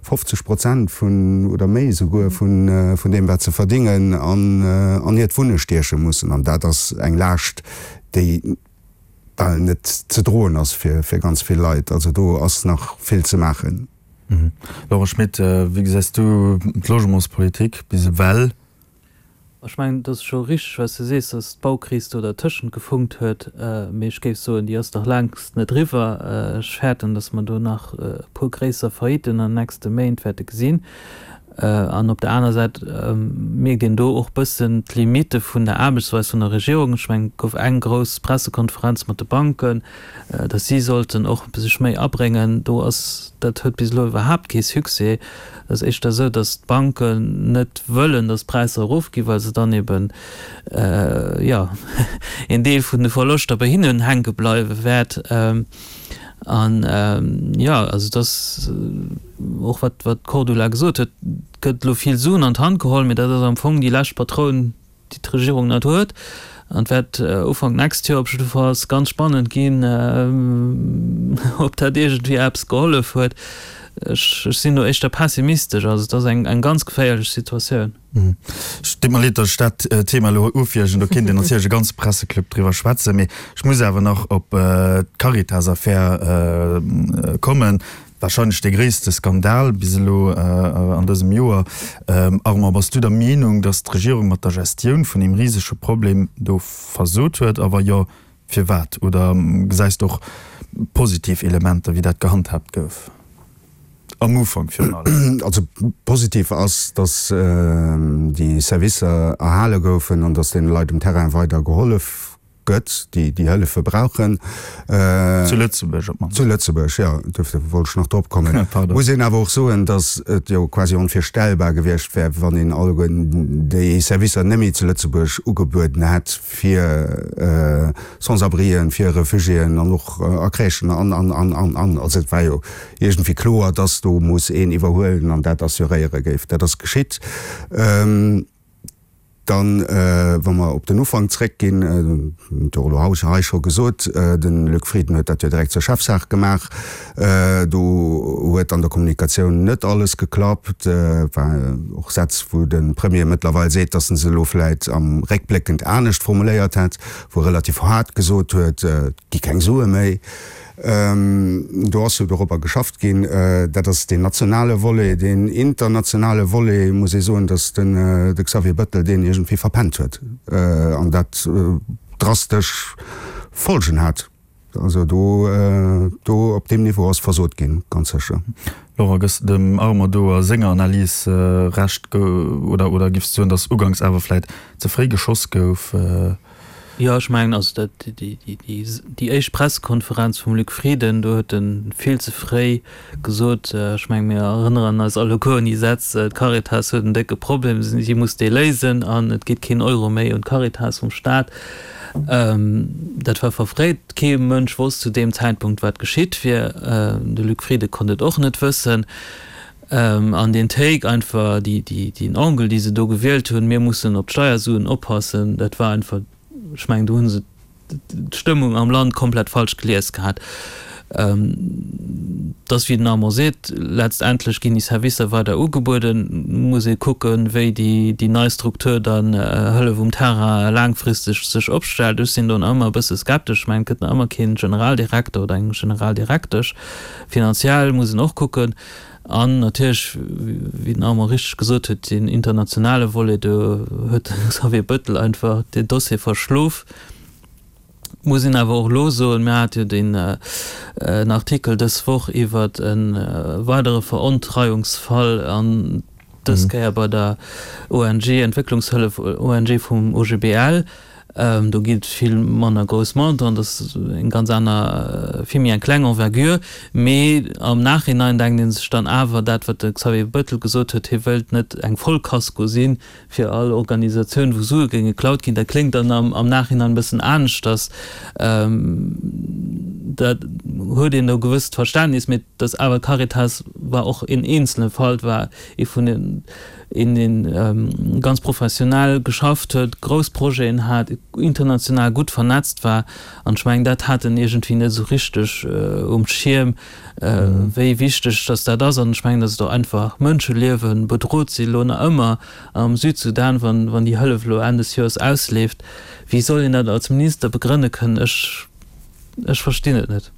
Speaker 4: fofzeg Prozent vun, oder méi esouguer, vun vun deem wat se verdingen an an hiert Wunne stieche mussen. An dat ass eng Laascht, déi bal net ze droen ass fir fir ganz vill Leit. Also do ass nach vill ze maachen.
Speaker 3: Laurent Schmit, wéi gesäis du d'Logementspolitik bis ewell?
Speaker 6: Ech mengen, et ass scho richteg, wat s de sees, datt d'Baukris do dertëschent gefunkt huet. Mee ech géif soen, déi ass nach längst net eriwwer. Ech fäerten, datt mer do nach e puer gréisser Faillitten an den nächste Méint wäerte gesinn. An op der aner Säit mierkt een do och bëssen d'Limitte vun der Aarbechtsweis vun der Regierung. Ech mengen, et gouf eng grouss Pressekonferenz mat de Banken, datt si sollten och sech méi abréngen. Do ass, dat huet bis elo iwwerhaapt kee Succès. Et ass éischter esou, datt d'Banken net wëllen, datt d'Präisser erofginn, well se dann eben, jo, een Deel vun de Verloschter bei hinnen hänke bleiwe wäert. An, jo, also et ass och wat wat d'Cordula gesot huet, et gëtt elo vill Suen an d'Hand geholl, mee dat ass am Fong déi lescht Patroun, déi d'Regierung nach huet. An et wäert Ufank d'nächst Joer op jiddefalls ganz spannend ginn, ob dat iergendwéi eppes gehollef huet. Ech sinn do éischter pessimistesch. Also et ass eng ganz geféierlech Situatioun.
Speaker 3: Et deet mer leed, datt ech dat Thema elo ufiergen. Do kéint een natierlech e ganze Presseclub driwwer schwätzen. Mee ech muss awer nach op d'Caritas-Affär kommen. Wahrscheinlech dee gréisste Skandal bis elo an dësem Joer. Armand, bass du der Meenung, datt d'Regierung mat der Gestioun vun deem risege Problem do versot huet? A wa jo, firwat? Oder gesäis de och positiv Elementer, wéi dat gehandhaabt gouf? Am Ufank virun allem.
Speaker 4: Also positiv ass, datt déi Servicer erhale goufen an datt deene Leit um Terrain weider gehollef gëtt, déi déi Hëllefe brauchen.
Speaker 3: Zu Lëtzebuerg op d'mannst.
Speaker 4: Zu Lëtzebuerg, jo, duerfir wollt ech nach drop kommen.
Speaker 3: Pardon.
Speaker 4: Muss een awer och soen, datt et jo quasi onvirstellbar gewiescht wär, wann een alleguerten déi Servicer net méi zu Lëtzebuerg ugebueden hätt fir Sans-abrien, fir Refugiéen an och a Crèchen an, an, an, an, an. Also et war jo iergendwéi kloer, datt do muss een iwwerhuelen an dat assuréiere géif. Dat ass geschitt. Dann, wa mer op den Ufank zréckginn, huet jo elo hei scho gesot, de Luc Frieden huet dat jo direkt zur Chefsaach gemaach. Do huet an der Kommunikatioun net alles geklappt. Et war och Sätz, wou de Premier mëttlerweil seet, datt en se elo vläit am réckbléckend anescht formuléiert hätt, wou e relativ haart gesot huet, et gi keng Sue méi. Do ass jo dorobber geschafft ginn. Dat ass deen nationale Volet. Deen internationale Volet, muss ee soen, datt de Xavier Bettel deen iergendwéi verpennt huet an dat drastesch Folgen hat. Also do, do op deem Niveau ass versot ginn, ganz sécher.
Speaker 3: Laurent, gëss de dem Armand do a senger Analys Recht oder, oder giffs de soen, datt uganks awer vläit ze fréi geschoss gouf?
Speaker 6: Jo, ech mengen, also dat, déi, déi, déi éischt Pressekonferenz vum Luc Frieden, do huet e vill ze fréi gesot, ech mengen, mir erënneren eis alleguer un déi Sätz, d'Caritas huet en décke Problem, si muss dee léisen an et geet keen Euro méi un d'Caritas vum Staat. Dat war verfréit. Kee Mënsch wosst zu deem Zäitpunkt, wat geschitt wier. De Luc Frieden konnt et och net wëssen. An deen Take einfach, déi, déi, deen Angle, dee se do gewielt hunn, mir mussen op d'Steiersuen oppassen, dat war einfach, Ech mengen, do hu se d'Stëmmung am Land komplett falsch gelies gehat. Et ass, wéi den Armand seet, letztendlech ginn déi Servicer weider ugebueden. Et muss ee kucken, wéi déi nei Struktur dann, Hëllef um Terrain, laangfristeg sech opstellt. Ech sinn do nach ëmmer e bësse skeptesch. Ech mengen, et gëtt nach ëmmer kee Generaldirekter oder eng Generaldirektesch. Finanziell muss een och kucken. An natierlech, wéi den Armand richteg gesot huet, deen internationale Volet, do huet de Xavier Bettel einfach deen Dossier verschlof. Muss een awer och elo soen, mir hate jo deen Artikel dës Woch iwwert e weidere Verontreiungsfall, an dës Kéier bei der O N G, Entwécklungshëllef O N G vum O G B L. Do ginn et vill manner grouss Montanten, dat ass eng ganz aner, vill méi eng kleng Envergure. Mee am Nachhinein denkt ee sech dann awer, dat wat de Xavier Bettel gesot huet, hie wëilt net eng Vollkasko si fir all Organisatioun, wou Sue géinge geklaut ginn, dat kléngt dann am Nachhinein e bëssen aneschters. Dat huet een e gewësst Verständnis, mee datt awer d'Caritas war och een eenzele Fall, war ee vun den, een deen ganz professionell geschafft huet, grouss Projeten hat, international gutt vernetzt war an ech mengen dat hat en iergendwéi net esou richteg um Schierm, wéi wichteg datt dat ass an ech mengen, datt et och einfach Mënscheliewe bedrot si elo nach ëmmer am Südsudan, wann wann déi Hëllef elo Enn des Joers ausleeft. Wéi soll een dat als Minister begrënne kënnen? Ech ech verstinn et net.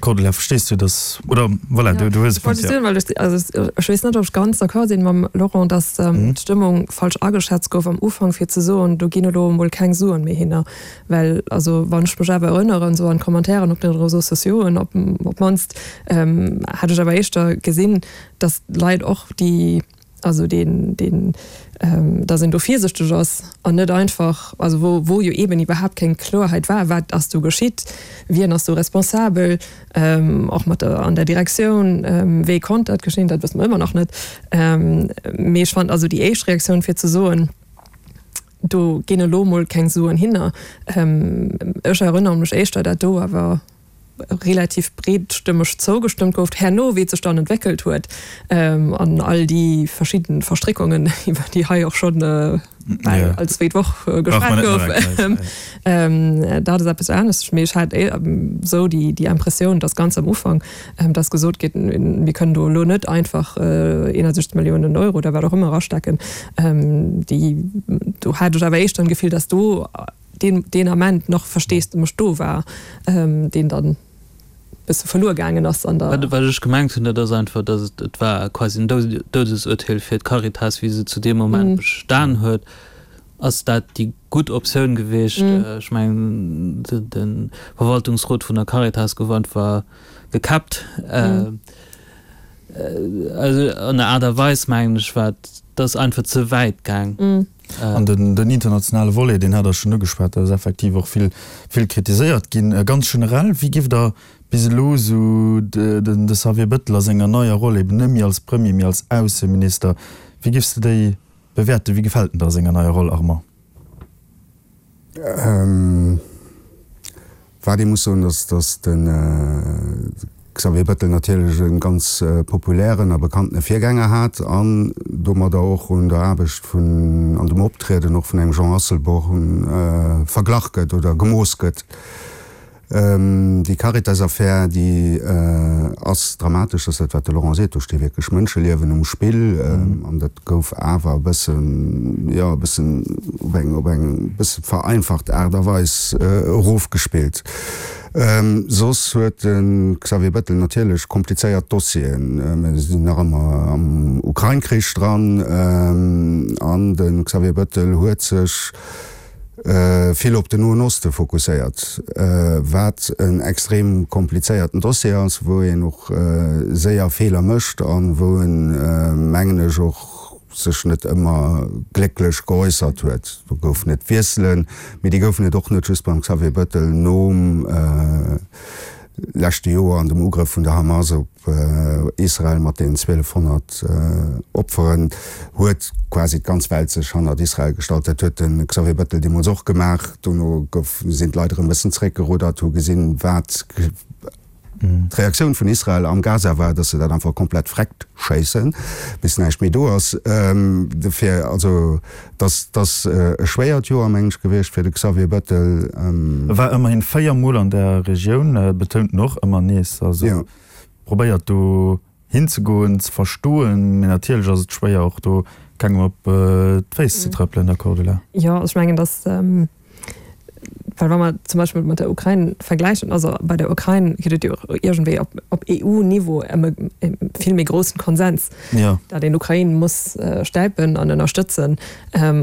Speaker 3: Cordula, verstees du dass, oder voilà, du, du hues e Punkt,
Speaker 5: ja. Also ech weess net, ob ech ganz d'accord sinn mam Laurent, dass d'Stëmmung falsch ageschätzt gouf am Ufank, fir ze soen, do ginn elo emol keng Suen méi hinner. Well also wann ech mech awer erënneren, esou an d'Commentairen op den Réseaux sociauxen op op d'mannst, hat ech awer éischter gesinn, dass d'Leit och déi, also deen, deen, dass een do virsichteg ass an net einfach, also wou, wou jo eeben iwwerhaapt keng Kloerheit war, wat ass do geschitt, wien ass do responsabel, och mat der, an der Direktioun, wéi konnt dat geschéien, dat wësse mer ëmmer nach net. Mee ech fand also déi éischt Reaktioun fir ze soen, do ginn elo emol keng Suen hinner, ech erënnere mech éischter, dat do awer relativ breetstëmmeg zougestëmmt gouf. Herno, wéi et sech dann entwéckelt huet an all déi verschidden Verstréckungen, iwwer déi hei och schonn bal all zweet Woch geschwat gouf, dat ass eppes anescht. Mee ech hat esou déi Impressioun, dass ganz am Ufank, dass gesot gétt, mir kënnen do elo net einfach eenundsechzeg Milliounen Euro oder wat och ëmmer erastecken. Déi, do hat ech awer éischter d'Gefill, dass do deen deen Ament nach Versteesdemech do war, deen dann e bësse verluer gaangen ass an der.
Speaker 6: Wat ech gemengt hunn, dat ass einfach, datt et, et war quasi en Doudesurteel fir d'Caritas, wéi se zu deem Moment bestan huet. Ass dat déi gutt Optioun gewiescht? Ech mengen, de Verwaltungsrot vun der Caritas gouf einfach gekäppt. Also an der Aart a Weis, mengen ech, war dat einfach ze wäit gaang.
Speaker 3: An den internationale Volet, deen hat Der schonn ugeschwat, dat ass effektiv och vill, vill kritiséiert ginn. Ganz generell, wéi giff Der bis elo esou de Xavier Bettel a senger neier Roll, eben net méi als Premier, mee als Ausseminister, wéi giffs de déi bewäerten? Wéi gefält en der a senger neier Roll, Armand?
Speaker 4: Wat ee muss soen, ass, datt de Xavier Bettel natierlech e ganz populären a bekanntene Virgänger hat an domadder och un der Aarbecht vun an dem Optrieden och vun engem Jean Asselborn verglach gëtt oder gemooss gëtt. Déi Caritas-Affär, déi ass dramatesch, dat ass dat, wat de Laurent seet, do sti wierklech Mënscheliewen um Spill an dat gouf awer e bëssen, jo, e bëssen op eng, op eng bësse vereinfacht Aart a Weis erofgespillt. Soss huet de Xavier Bettel natierlech komplizéiert Dossieren. Mir sinn nach ëmmer am Ukrain-Krich dran an de Xavier Bettel huet sech vill op den Noen Oste fokusséiert, wat en extrem komplizéierten Dossier ass, wou een och séier Feeler mécht an wou en, mengen ech, och sech net ëmmer glécklech geäussert huet. Do goufen et Wiesselen, mee déi goufen et och net just beim Xavier Bettel nom leschte Joer an dem Ugrëff vun der Hamas op Israel mat deenen zwielefhonnert Opferen huet quasi d'ganz Welt sech hannert Israel gestallt. Dat huet de Xavier Bettel deemools och gemaach. Dono gouf, sinn d'Leit erëm e bëssen zréckgeruddert, hu gesinn, wat d'Reaktioun vun Israel am Gaza war, dass se dat einfach komplett vreckt schéissen, bis näischt méi do ass. Dofir, also, dass ass e schwéiert Joer, mengen ech, gewiescht fir de Xavier Bettel.
Speaker 3: E war ëmmerhin véier Mol an der Regioun, betount en och ëmmer nees. Also probéiert do hinzegoen, ze verstoen, mee natierlech ass et schwéier och do kengem op d'Féiss ze trëppelen, da Cordula.
Speaker 5: Jo, ech mengen, dass Well wa mer zum Beispill mat der Ukrain vergläichen, also bei der Ukrain gëtt et jo och iergendwéi op, op E U-Niveau ëm e vill méi groussen Konsens, datt een d'Ukrain muss stäipen an ënnerstëtzen.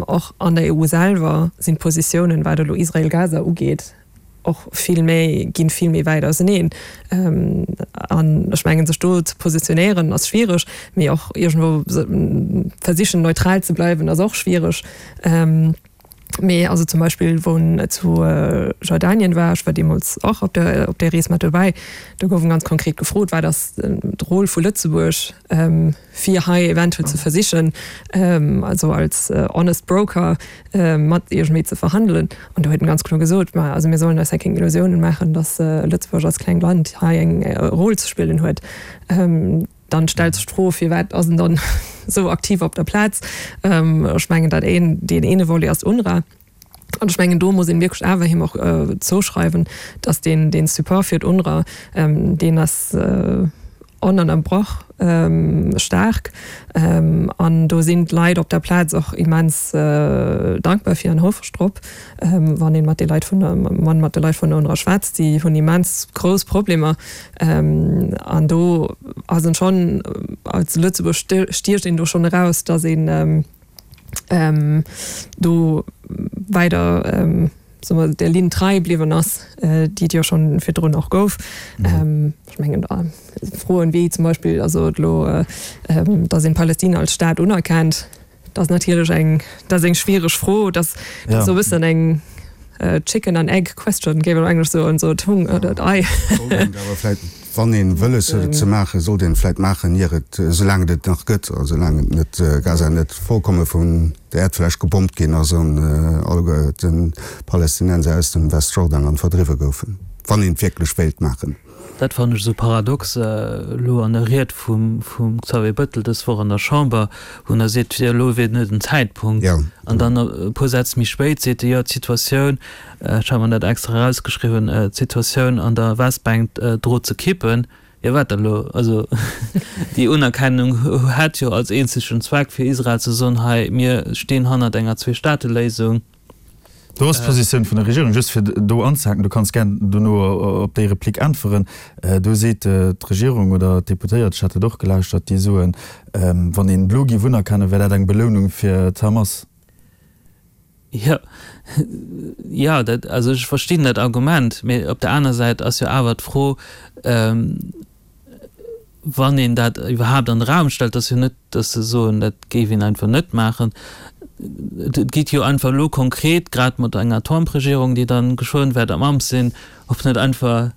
Speaker 5: Och an der E U selwer sinn d'Positiounen, wat elo Israel-Gaza ugeet, och vill méi, ginn vill méi wäit auseneen. An ech mengen, sech do ze positionéieren ass schwiereg, mee och iergendwou versichen neutral ze bleiwen ass och schwiereg. Mee also zum Beispill wou en zu Jordanien war, ech war deemools och op der op där Rees mat dobäi, do gouf en ganz konkret gefrot, wat ass d'Roll vu Lëtzebuerg fir hei eventuell ze versichen, also als honest broker mat iergendwéi ze verhandelen. An do huet en ganz kloer gesot, ma also mir sollen eis hei keng Illusiounen maachen, datt Lëtzebuerg als klengt Land hei eng Roll ze spillen huet. Dann stellt sech d'Fro, firwat ass en dann esou aktiv op der Plaz? Ech mengen, dat een, deen eene Volet ass d'UNRWA. An ech mengen, do muss een wierklech awer him och zouschreiwen, datt deen, deen Support fir d'UNRWA, deen ass onënnerbrach staark an do sinn d'Leit op der Plaz och immens dankbar fir an houfreg drop, wann een mat de Leit vun wann mat de Leit vun der UNRWA schwätzt. Déi hunn immens grouss Problemer an do ass en schonn, als Lëtzebuerg stiecht een do schonn eraus, datt een do weider soe mer, der Linn trei bliwwen ass, déi et jo schonn virdrun och gouf. Ech mengen da Froen wéi zum Beispill, also elo, datt een Palästina als Staat unerkennt, dat ass natierlech eng, dat ass eng schwiereg Fro. Dat ass esou e bëssen eng chicken and egg question, géif een op Englesch soen, esou d'Hung oder d'Ei.
Speaker 4: Sollt een et awer vläicht, wann ee wëlles huet et ze maachen, sollt een et vläicht maachen, ier et, soulaang et et nach gëtt a soulaang et net, Gaza net vollkomme vun der Äerdfläch gebommt ginn ass an alleguer d'Palästinenser aus dem Westjordanland verdriwwe goufen, wann een et wierklech wéilt maachen.
Speaker 6: Dat fannen ech esou paradox elo an der Ried vum Xavier Bettel dës Woch an der Chamber, wou en da seet, jo elo wier net den Zäitpunkt. An dann e puer Sätz méi spéit seet e, jo d'Situatioun, ech hat mer dat extra erausgeschriwwen, d'Situatioun an der Westbänk drot ze kippen. Jo wat da elo? Also déi Unerkennung hätt jo als eenzegen Zweck fir Israel ze soen, hei mir stinn hannert enger Zweestaateléisung.
Speaker 3: Do ass d'Positioun vun der Regierung, just fir do anzehaken, du kanns gär dono op déi Replik äntweren, do seet d'Regierung oder d'Deputéiert, ech hat dat och gelauschtert, déi soen, wann een elo géif unerkennen, wär dat eng Belounung fir d'Hamas.
Speaker 6: Jo, jo, dat, also ech verstinn dat Argument, mee op der aner Säit ass jo awer d'Fro, wann een dat iwwerhaapt an de Raum stellt, ass jo net, datt se soen, dat géif een einfach net maachen. Et geet jo einfach elo konkret, grad mat enger Trump-Regierung, déi dann geschwënn wäert am Amt sinn, ob net einfach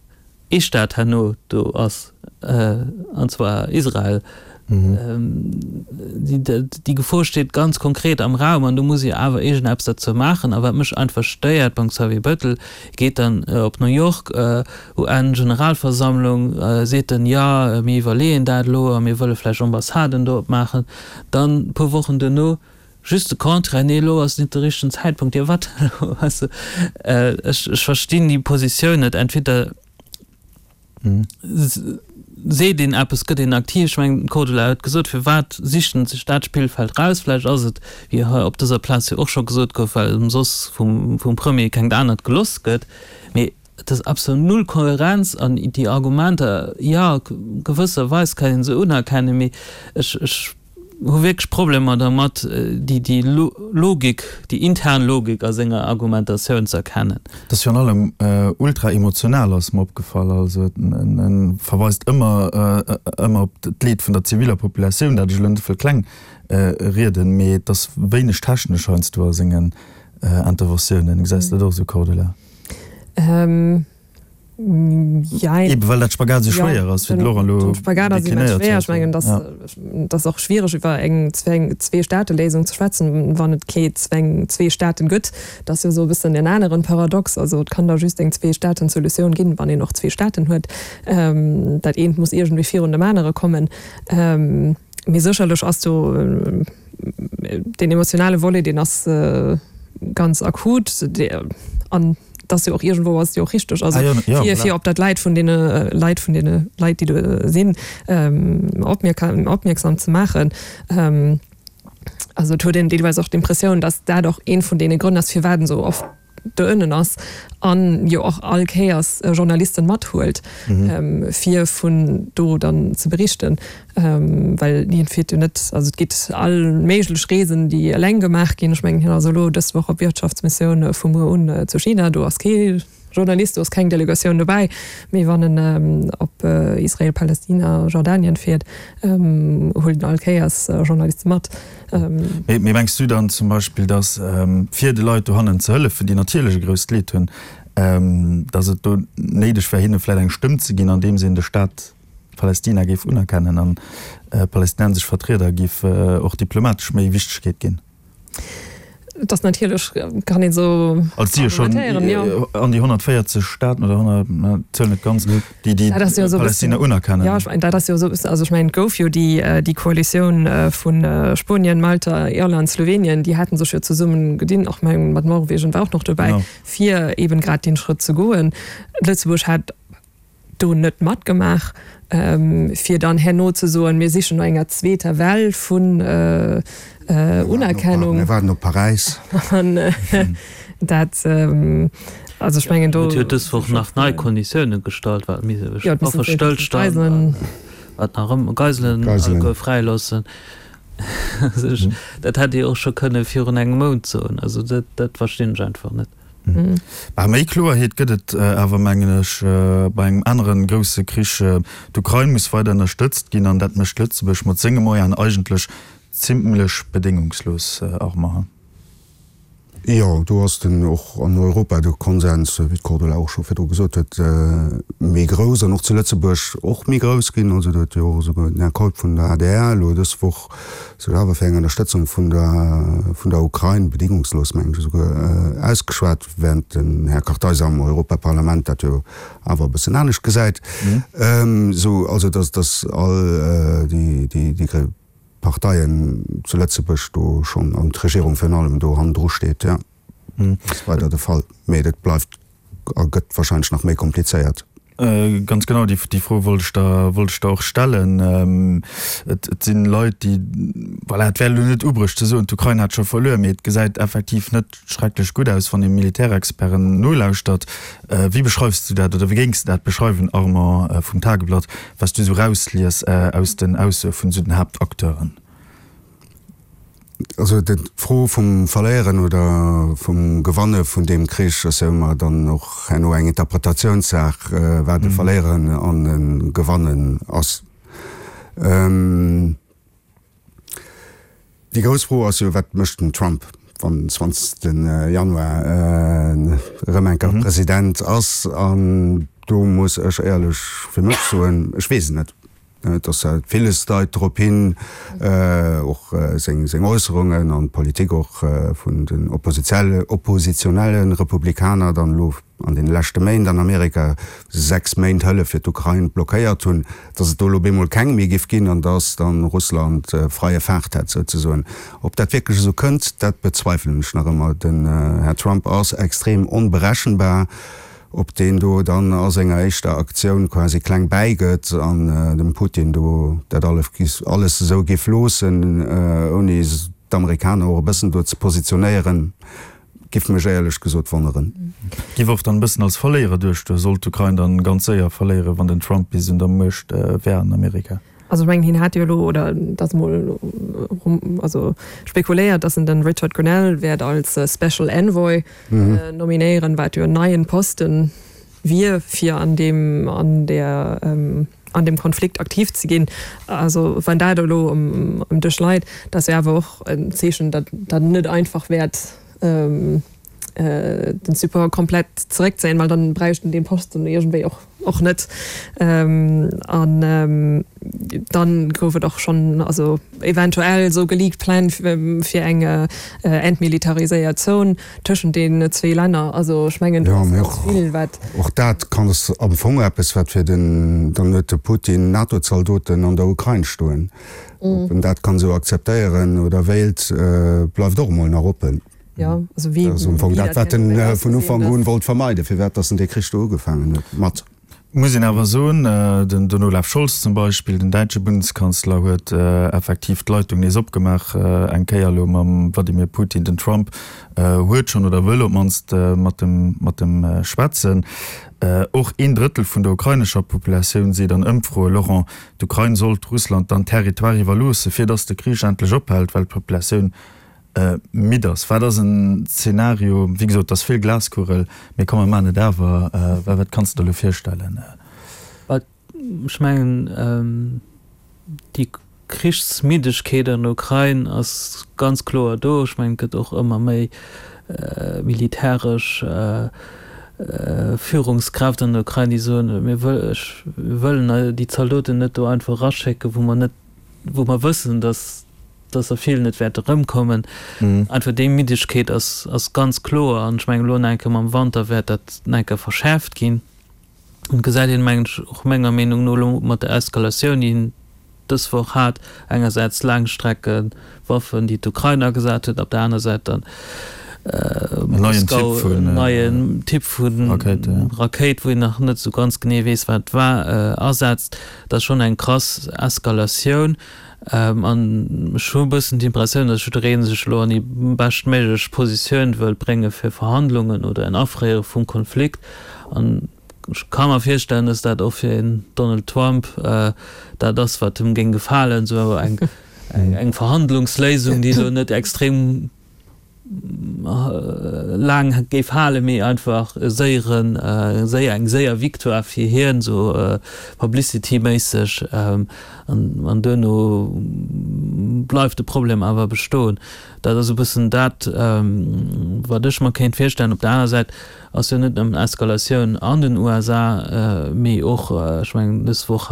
Speaker 6: ee Staat herno do ass, an zwar Israel. Déi Gefor steet ganz konkret am Raum an do muss ee awer iergendeppes derzou maachen. A wat mech einfach stéiert beim Xavier Bettel, geet dann op New York, UN-Generalversammlung, seet en, jo mir iwwerleeën dat elo a mir wëlle vläicht Ambassaden do opmaachen. Dann e puer Wochen duerno just de Contraire, nee elo ass net de richtegen Zäitpunkt. Jo wat dann elo? Weess de, ech verstinn déi Positioun net. Entweder seet een eppes, gëtt een aktiv. Ech mengen, d'Cordula huet gesot, firwat sicht en sech dat Spillfeld raus? Vläicht ass et, wéi hei op dëser Plaz jo och scho gesot gouf, well em soss vum Premier kengt anert geloss gëtt. Mee et ass absolut null Kohärenz an déi Argumenter, jo, gewësserweis kann ee se unerkennen, mee ech, ech hu wierklech Problemer dermat, déi Logik, déi intern Logik a senger Argumentatioun ze erkennen.
Speaker 3: Et ass virun allem ultra emotional, ass mer opgefall. Also en verweist ëmmer ëmmer op d'Leed vun der ziviller Populatioun, dat ech elo net wëll kleng rieden, mee et ass wéineg technesch heiansdo a sengen Interventiounen. Gesäis de dat och esou, Cordula?
Speaker 5: Jein.
Speaker 3: Eben well dat Spagat esou schwéier ass, wéi de Laurent elo
Speaker 5: Den Spagat ass immens
Speaker 3: deklinéiert
Speaker 5: schwéier.
Speaker 3: huet.
Speaker 5: Ech mengen, dass et ass och schwiereg iwwer eng Zwee-Staate-Léisung ze schwätzen, wann et kee zwee Staaten gëtt. Dat ass jo esou e bëssen en aneren Paradox. Also et kann da just eng Zwee-Staaten-Solutioun ginn, wann een och zwee Staaten huet. Dat eent muss iergendwéi virun dem anere kommen. Mee sécherlech ass do deen emotionale Volet, deen ass ganz akut an et ass jo och iergendwou ass et jo och richteg, also fir fir op dat Leid vun deene Leit vun deene Leit, déi do sinn, opmierksam ze maachen. Also et huet een deelweis och d'Impressioun, datt dat och ee vun deene Grënn ass, firwat en esou oft do ënnen ass an jo och all Kéiers Journalisten mathuelt, fir vun do dann ze berichten, well hien fiert jo net, also et gitt all méiglech Reesen, déi eleng gemaach ginn. Ech mengen, hien ass elo dës Woch op Wirtschaftsmissioun vu muer un zu China, do ass kee Journalist, do ass keng Delegatioun dobäi. Mee wann en op Israel, Palästina, Jordanien fiert, huelt en all Kéiers Journaliste mat.
Speaker 3: Mee mengs du dann zum Beispill, datt, fir de Leit dohannen ze hëllefen, déi natierlech e grousst Leed hunn, datt et do néideg wär, hinne vläicht eng Stëmm ze ginn, andeems een de Staat Palästina géif unerkennen an palästinensesch Vertrieder géif och diplomatesch méi Wichtegkeet ginn?
Speaker 5: Et ass natierlech, kann een esou
Speaker 3: Also et si jo schonn
Speaker 5: argumentéieren, jo.
Speaker 3: an déi honnertvéierzeg Staaten oder honnert, na, d'Zuel net ganz, déi déi
Speaker 5: Dat ass jo esou e
Speaker 3: Palästina
Speaker 5: bëssen,
Speaker 3: unerkennen.
Speaker 5: jo, ech mengen, dat ass jo esou e bëssen, also ech mengen, et gouf jo déi, déi Koalitioun vu Spuenien, Malta, Irland, Slowenien, déi haten sech jo zesummen gedinn, och mengen mat Norwegen war och nach dobäi,
Speaker 3: Genau.
Speaker 5: fir eben grad deen Schrëtt ze goen. Lëtzebuerg hat do net matgemaach, fir dann herno ze soen, mir sichen no enger zweeter Well vun Unerkennung.
Speaker 4: Mir waarden op Paräis.
Speaker 5: An dat, also ech mengen do.
Speaker 6: Huet jo dës Woch nach nei Konditioune gestallt, wat Waffestëllstand, wat nach ëmmer, Geiselen alleguer fräiloossen. Dat hätt Dir och scho kënne virun engem Mount soen. Also dat, dat verstinn ech einfach net.
Speaker 3: Bah, méi Kloerheet gëtt et awer, mengen ech, bei engem anere grousse Krich. D'Ukrain muss weider ënnerstëtzt ginn an dat mécht Lëtzebuerg mat senge Moyenen eigentlech zimlech bedéngungslos, Armand.
Speaker 4: Jo, do ass den och an Europa de Konsens, wéi d'Cordula och scho virdru gesot huet, méi grouss an och zu Lëtzebuerg och méi grouss ginn. Also do huet jo och esouguer den Här Keup vun der adr elo dës Woch sech awer fir eng Ënnerstëtzung vun der vun der Ukrain, bedingungslos mengen ech esouguer, ausgeschwat, während den Här Kartheiser am Europaparlament dat jo awer e bëssen anescht gesäit. Esou also datt datt all déi déi déi Parteien zu Lëtzebuerg do schonn, an d'Regierung virun allem, do hannendru steet, jo, ass weider de Fall. Mee dat bleift a gëtt wahrscheinlech nach méi komplizéiert.
Speaker 3: Ganz genau, déi Fro wollt ech der, wollt ech der och stellen. Et si Leit, déi, voilà, et wär elo net ubruecht ze soen, d'Ukrain hätt scho verluer, mee et gesäit effektiv net schrecklech gutt aus, wann ee Militärexperten nolauschtert. Wéi beschreifs du dat oder wéi géings de dat beschreiwen, Armand vum Tageblatt, wat s du esou erauslies aus den Aussoe vun esou den Haaptacteuren?
Speaker 4: Also d'Fro vum Verléieren oder vum Gewanne vun deem Krich ass jo ëmmer dann och herno eng Interpretatiounssaach, wat e Verléieren an e Gewannen ass. Déi grouss Fro ass jo, Wat mécht den Trump, wann den zwanzegste Januar erëm eng Kéier President ass? An do muss ech éierlech fir mech soen, ech weess et net. Et ass villes deit drop hin, och seng Äusserungen an d'Politik och vun den oppositionelle Republikaner dann elo an deene leschte Méint an Amerika, sechs Méint Hëllef fir d'Ukrain blockéiert hunn, datt et do elo bemol keng méi giff ginn an datt dann Russland freie Fahrt hätt souzesoen. Ob dat wierklech esou kënnt, dat bezweifelen ech nach ëmmer. Den Här Trump ass extrem onberechenbar. Ob deen do dann a senger éischter Aktioun quasi kleng bäigëtt an dem Putin do dat alles esou géif loossen, ouni d'Amerikaner och e bëssen do ze positionéieren, giff mech éierlech gesot wonneren.
Speaker 3: Giff och dann e bëssen als Verléierer duerstoen, sollt d'Ukrain dann ganz séier verléieren, wann den Trump bis un der Muecht wär an Amerika.
Speaker 5: Also ech mengen, hien hat jo elo, oder et ass emol also spekuléiert, datt en den Richard Grenell wäert als Special Envoy nominéieren, wat jo en neien Posten wier, fir an deem, an där, an deem Konflikt aktiv ze ginn. Also wann dat elo um Dësch leit, dat ass jo awer och en Zeechen, datt dat net einfach wäert den Support komplett zeréckzéien, well dann bräicht en dee Posten iergendwéi och och net. An dann gouf et och schonn also eventuell esou geleakt Pläng fir eng entmilitariséiert Zon tëschent deenen zwee Länner. Also ech mengen do ass ganz vill wat.
Speaker 4: Och dat kann ass am Fong eppes wat fir den, dann huet de Putin NATO-Zaldoten an der Ukrain stoen. Ob en dat kann esou akzeptéieren oder wéilt, bleift och emol nach oppen.
Speaker 5: Ja, also wéi,
Speaker 4: Dat ass am Fong
Speaker 5: wéi
Speaker 4: dat,
Speaker 5: dat
Speaker 4: wat en
Speaker 5: herno wäert
Speaker 4: vun
Speaker 5: ausgesinn,
Speaker 4: Ufank
Speaker 5: dat.
Speaker 4: un wollt vermeiden, firwat dass en dee Krich do ugefaangen huet mat.
Speaker 3: Muss een awer soen, den den Olaf Scholz zum Beispill, den däitsche Bundeskanzler, huet effektiv d'Leitung nees opgemaach, eng Kéier elo mam Wladimir Putin. Den Trump huet schonn oder wëll op d'mannst mat em mat em schwätzen. Och een Drëttel vun der ukrainescher Populatioun seet an Ëmfroe, Laurent, d'Ukrain sollt Russland dann Territoire iwwerloosse fir datt de Krich endlech ophält, well d'Populatioun midd ass. Wat ass en Zeenario, wéi gesot, et ass vill Glaskugel, mee komm mer maachen et awer, wat kanns de der elo virstellen?
Speaker 6: Ech mengen, déi Krichsmiddegkeet an der Ukrain ass ganz kloer do. Ech mengen, et gëtt och ëmmer méi militäresch Führungskräfte an der Ukrain, déi soen, mir wëllen déi Zaldoten net do einfach eraschécken, wou mer net, wou mer wëssen, datt dass der vill net wäerte rëmkommen. Einfach déi Middegkeet ass, ass ganz kloer. An ech mengen, elo nach eng Kéier mam Wanter wäert dat nach eng Kéier verschäerft ginn. An et gesäit een, mengen ech, och menger Meenung no elo mat der Eskalatioun, déi een dës Woch hat, engersäits Laangstreckewaffen, déi d'Ukrain agesat huet, op der aner Säit dann Moskau en neien Typ vu Rakéit, wou een nach net esou ganz genee weess, wat et war, asetzt. Dat ass schonn eng krass Eskalatioun. An ech hu e bëssen d'Impressioun, datt jidderee sech elo an déi beschtméiglech Positioun wëllt brénge fir Verhandlungen oder en Afréiere vum Konflikt. An ech ka mer virstellen, datt dat och fir en Donald Trump dat ass, wat him géing gefalen, esou eng Verhandlungsléisung, déi elo net extrem laang géif halen, mee einfach e séieren, séier, eng séier Victoire fir hien, esou publicity-méisseg, an duerno bleift de Problem awer bestoen. Dat ass e bëssen dat, wat ech mer kéint virstellen. Op der aner Säit ass jo net nëmmen Eskalatioun an den U S A, mee och, ech mengen, dës Woch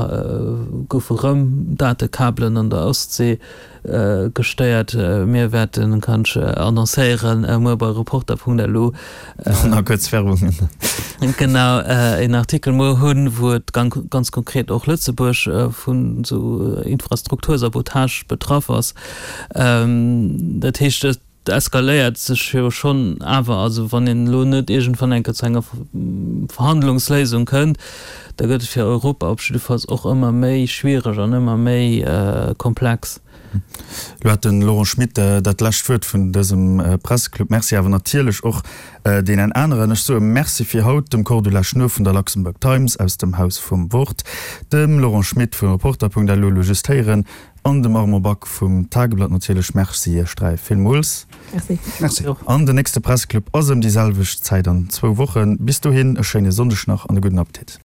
Speaker 6: goufe rëm Datekabelen an der Ostsee gestéiert. Mir wäerten, kann ech annoncéieren, muer bei Reporter.lu
Speaker 3: Nach kuerz Werbung.
Speaker 6: Genau, een Artikel muer hunn, wou et ganz konkret och Lëtzebuerg vun esou Infrastruktursabotage betraff ass. Dat heescht, et eskaléiert sech jo schonn awer. Also wann een elo net iergendwann eng Kéier zu enger Verhandlungsléisung kënnt, da gëtt et fir Europa op jiddefalls och ëmmer méi schwiereg an ëmmer méi komplex.
Speaker 3: Lo hat de Laurent Schmit dat lescht Wuert vun dësem Presseclub. Merci awer natierlech och deenen aneren. Ech soe Merci fir haut dem Cordula Schnuer vun der Luxembourg Times aus dem Haus vum Wort, dem Laurent Schmit vun Reporter.lu, elo just héieren, an dem Armand Back vum Tageblatt natierlech. Merci iech dräi villmools.
Speaker 5: Merci.
Speaker 4: Merci.
Speaker 3: An den nächste Presseclub ass ëm déi selwecht Zäit an zwou Wochen. Bis dohin e schéine Sonndeg nach an e gudden Appetit.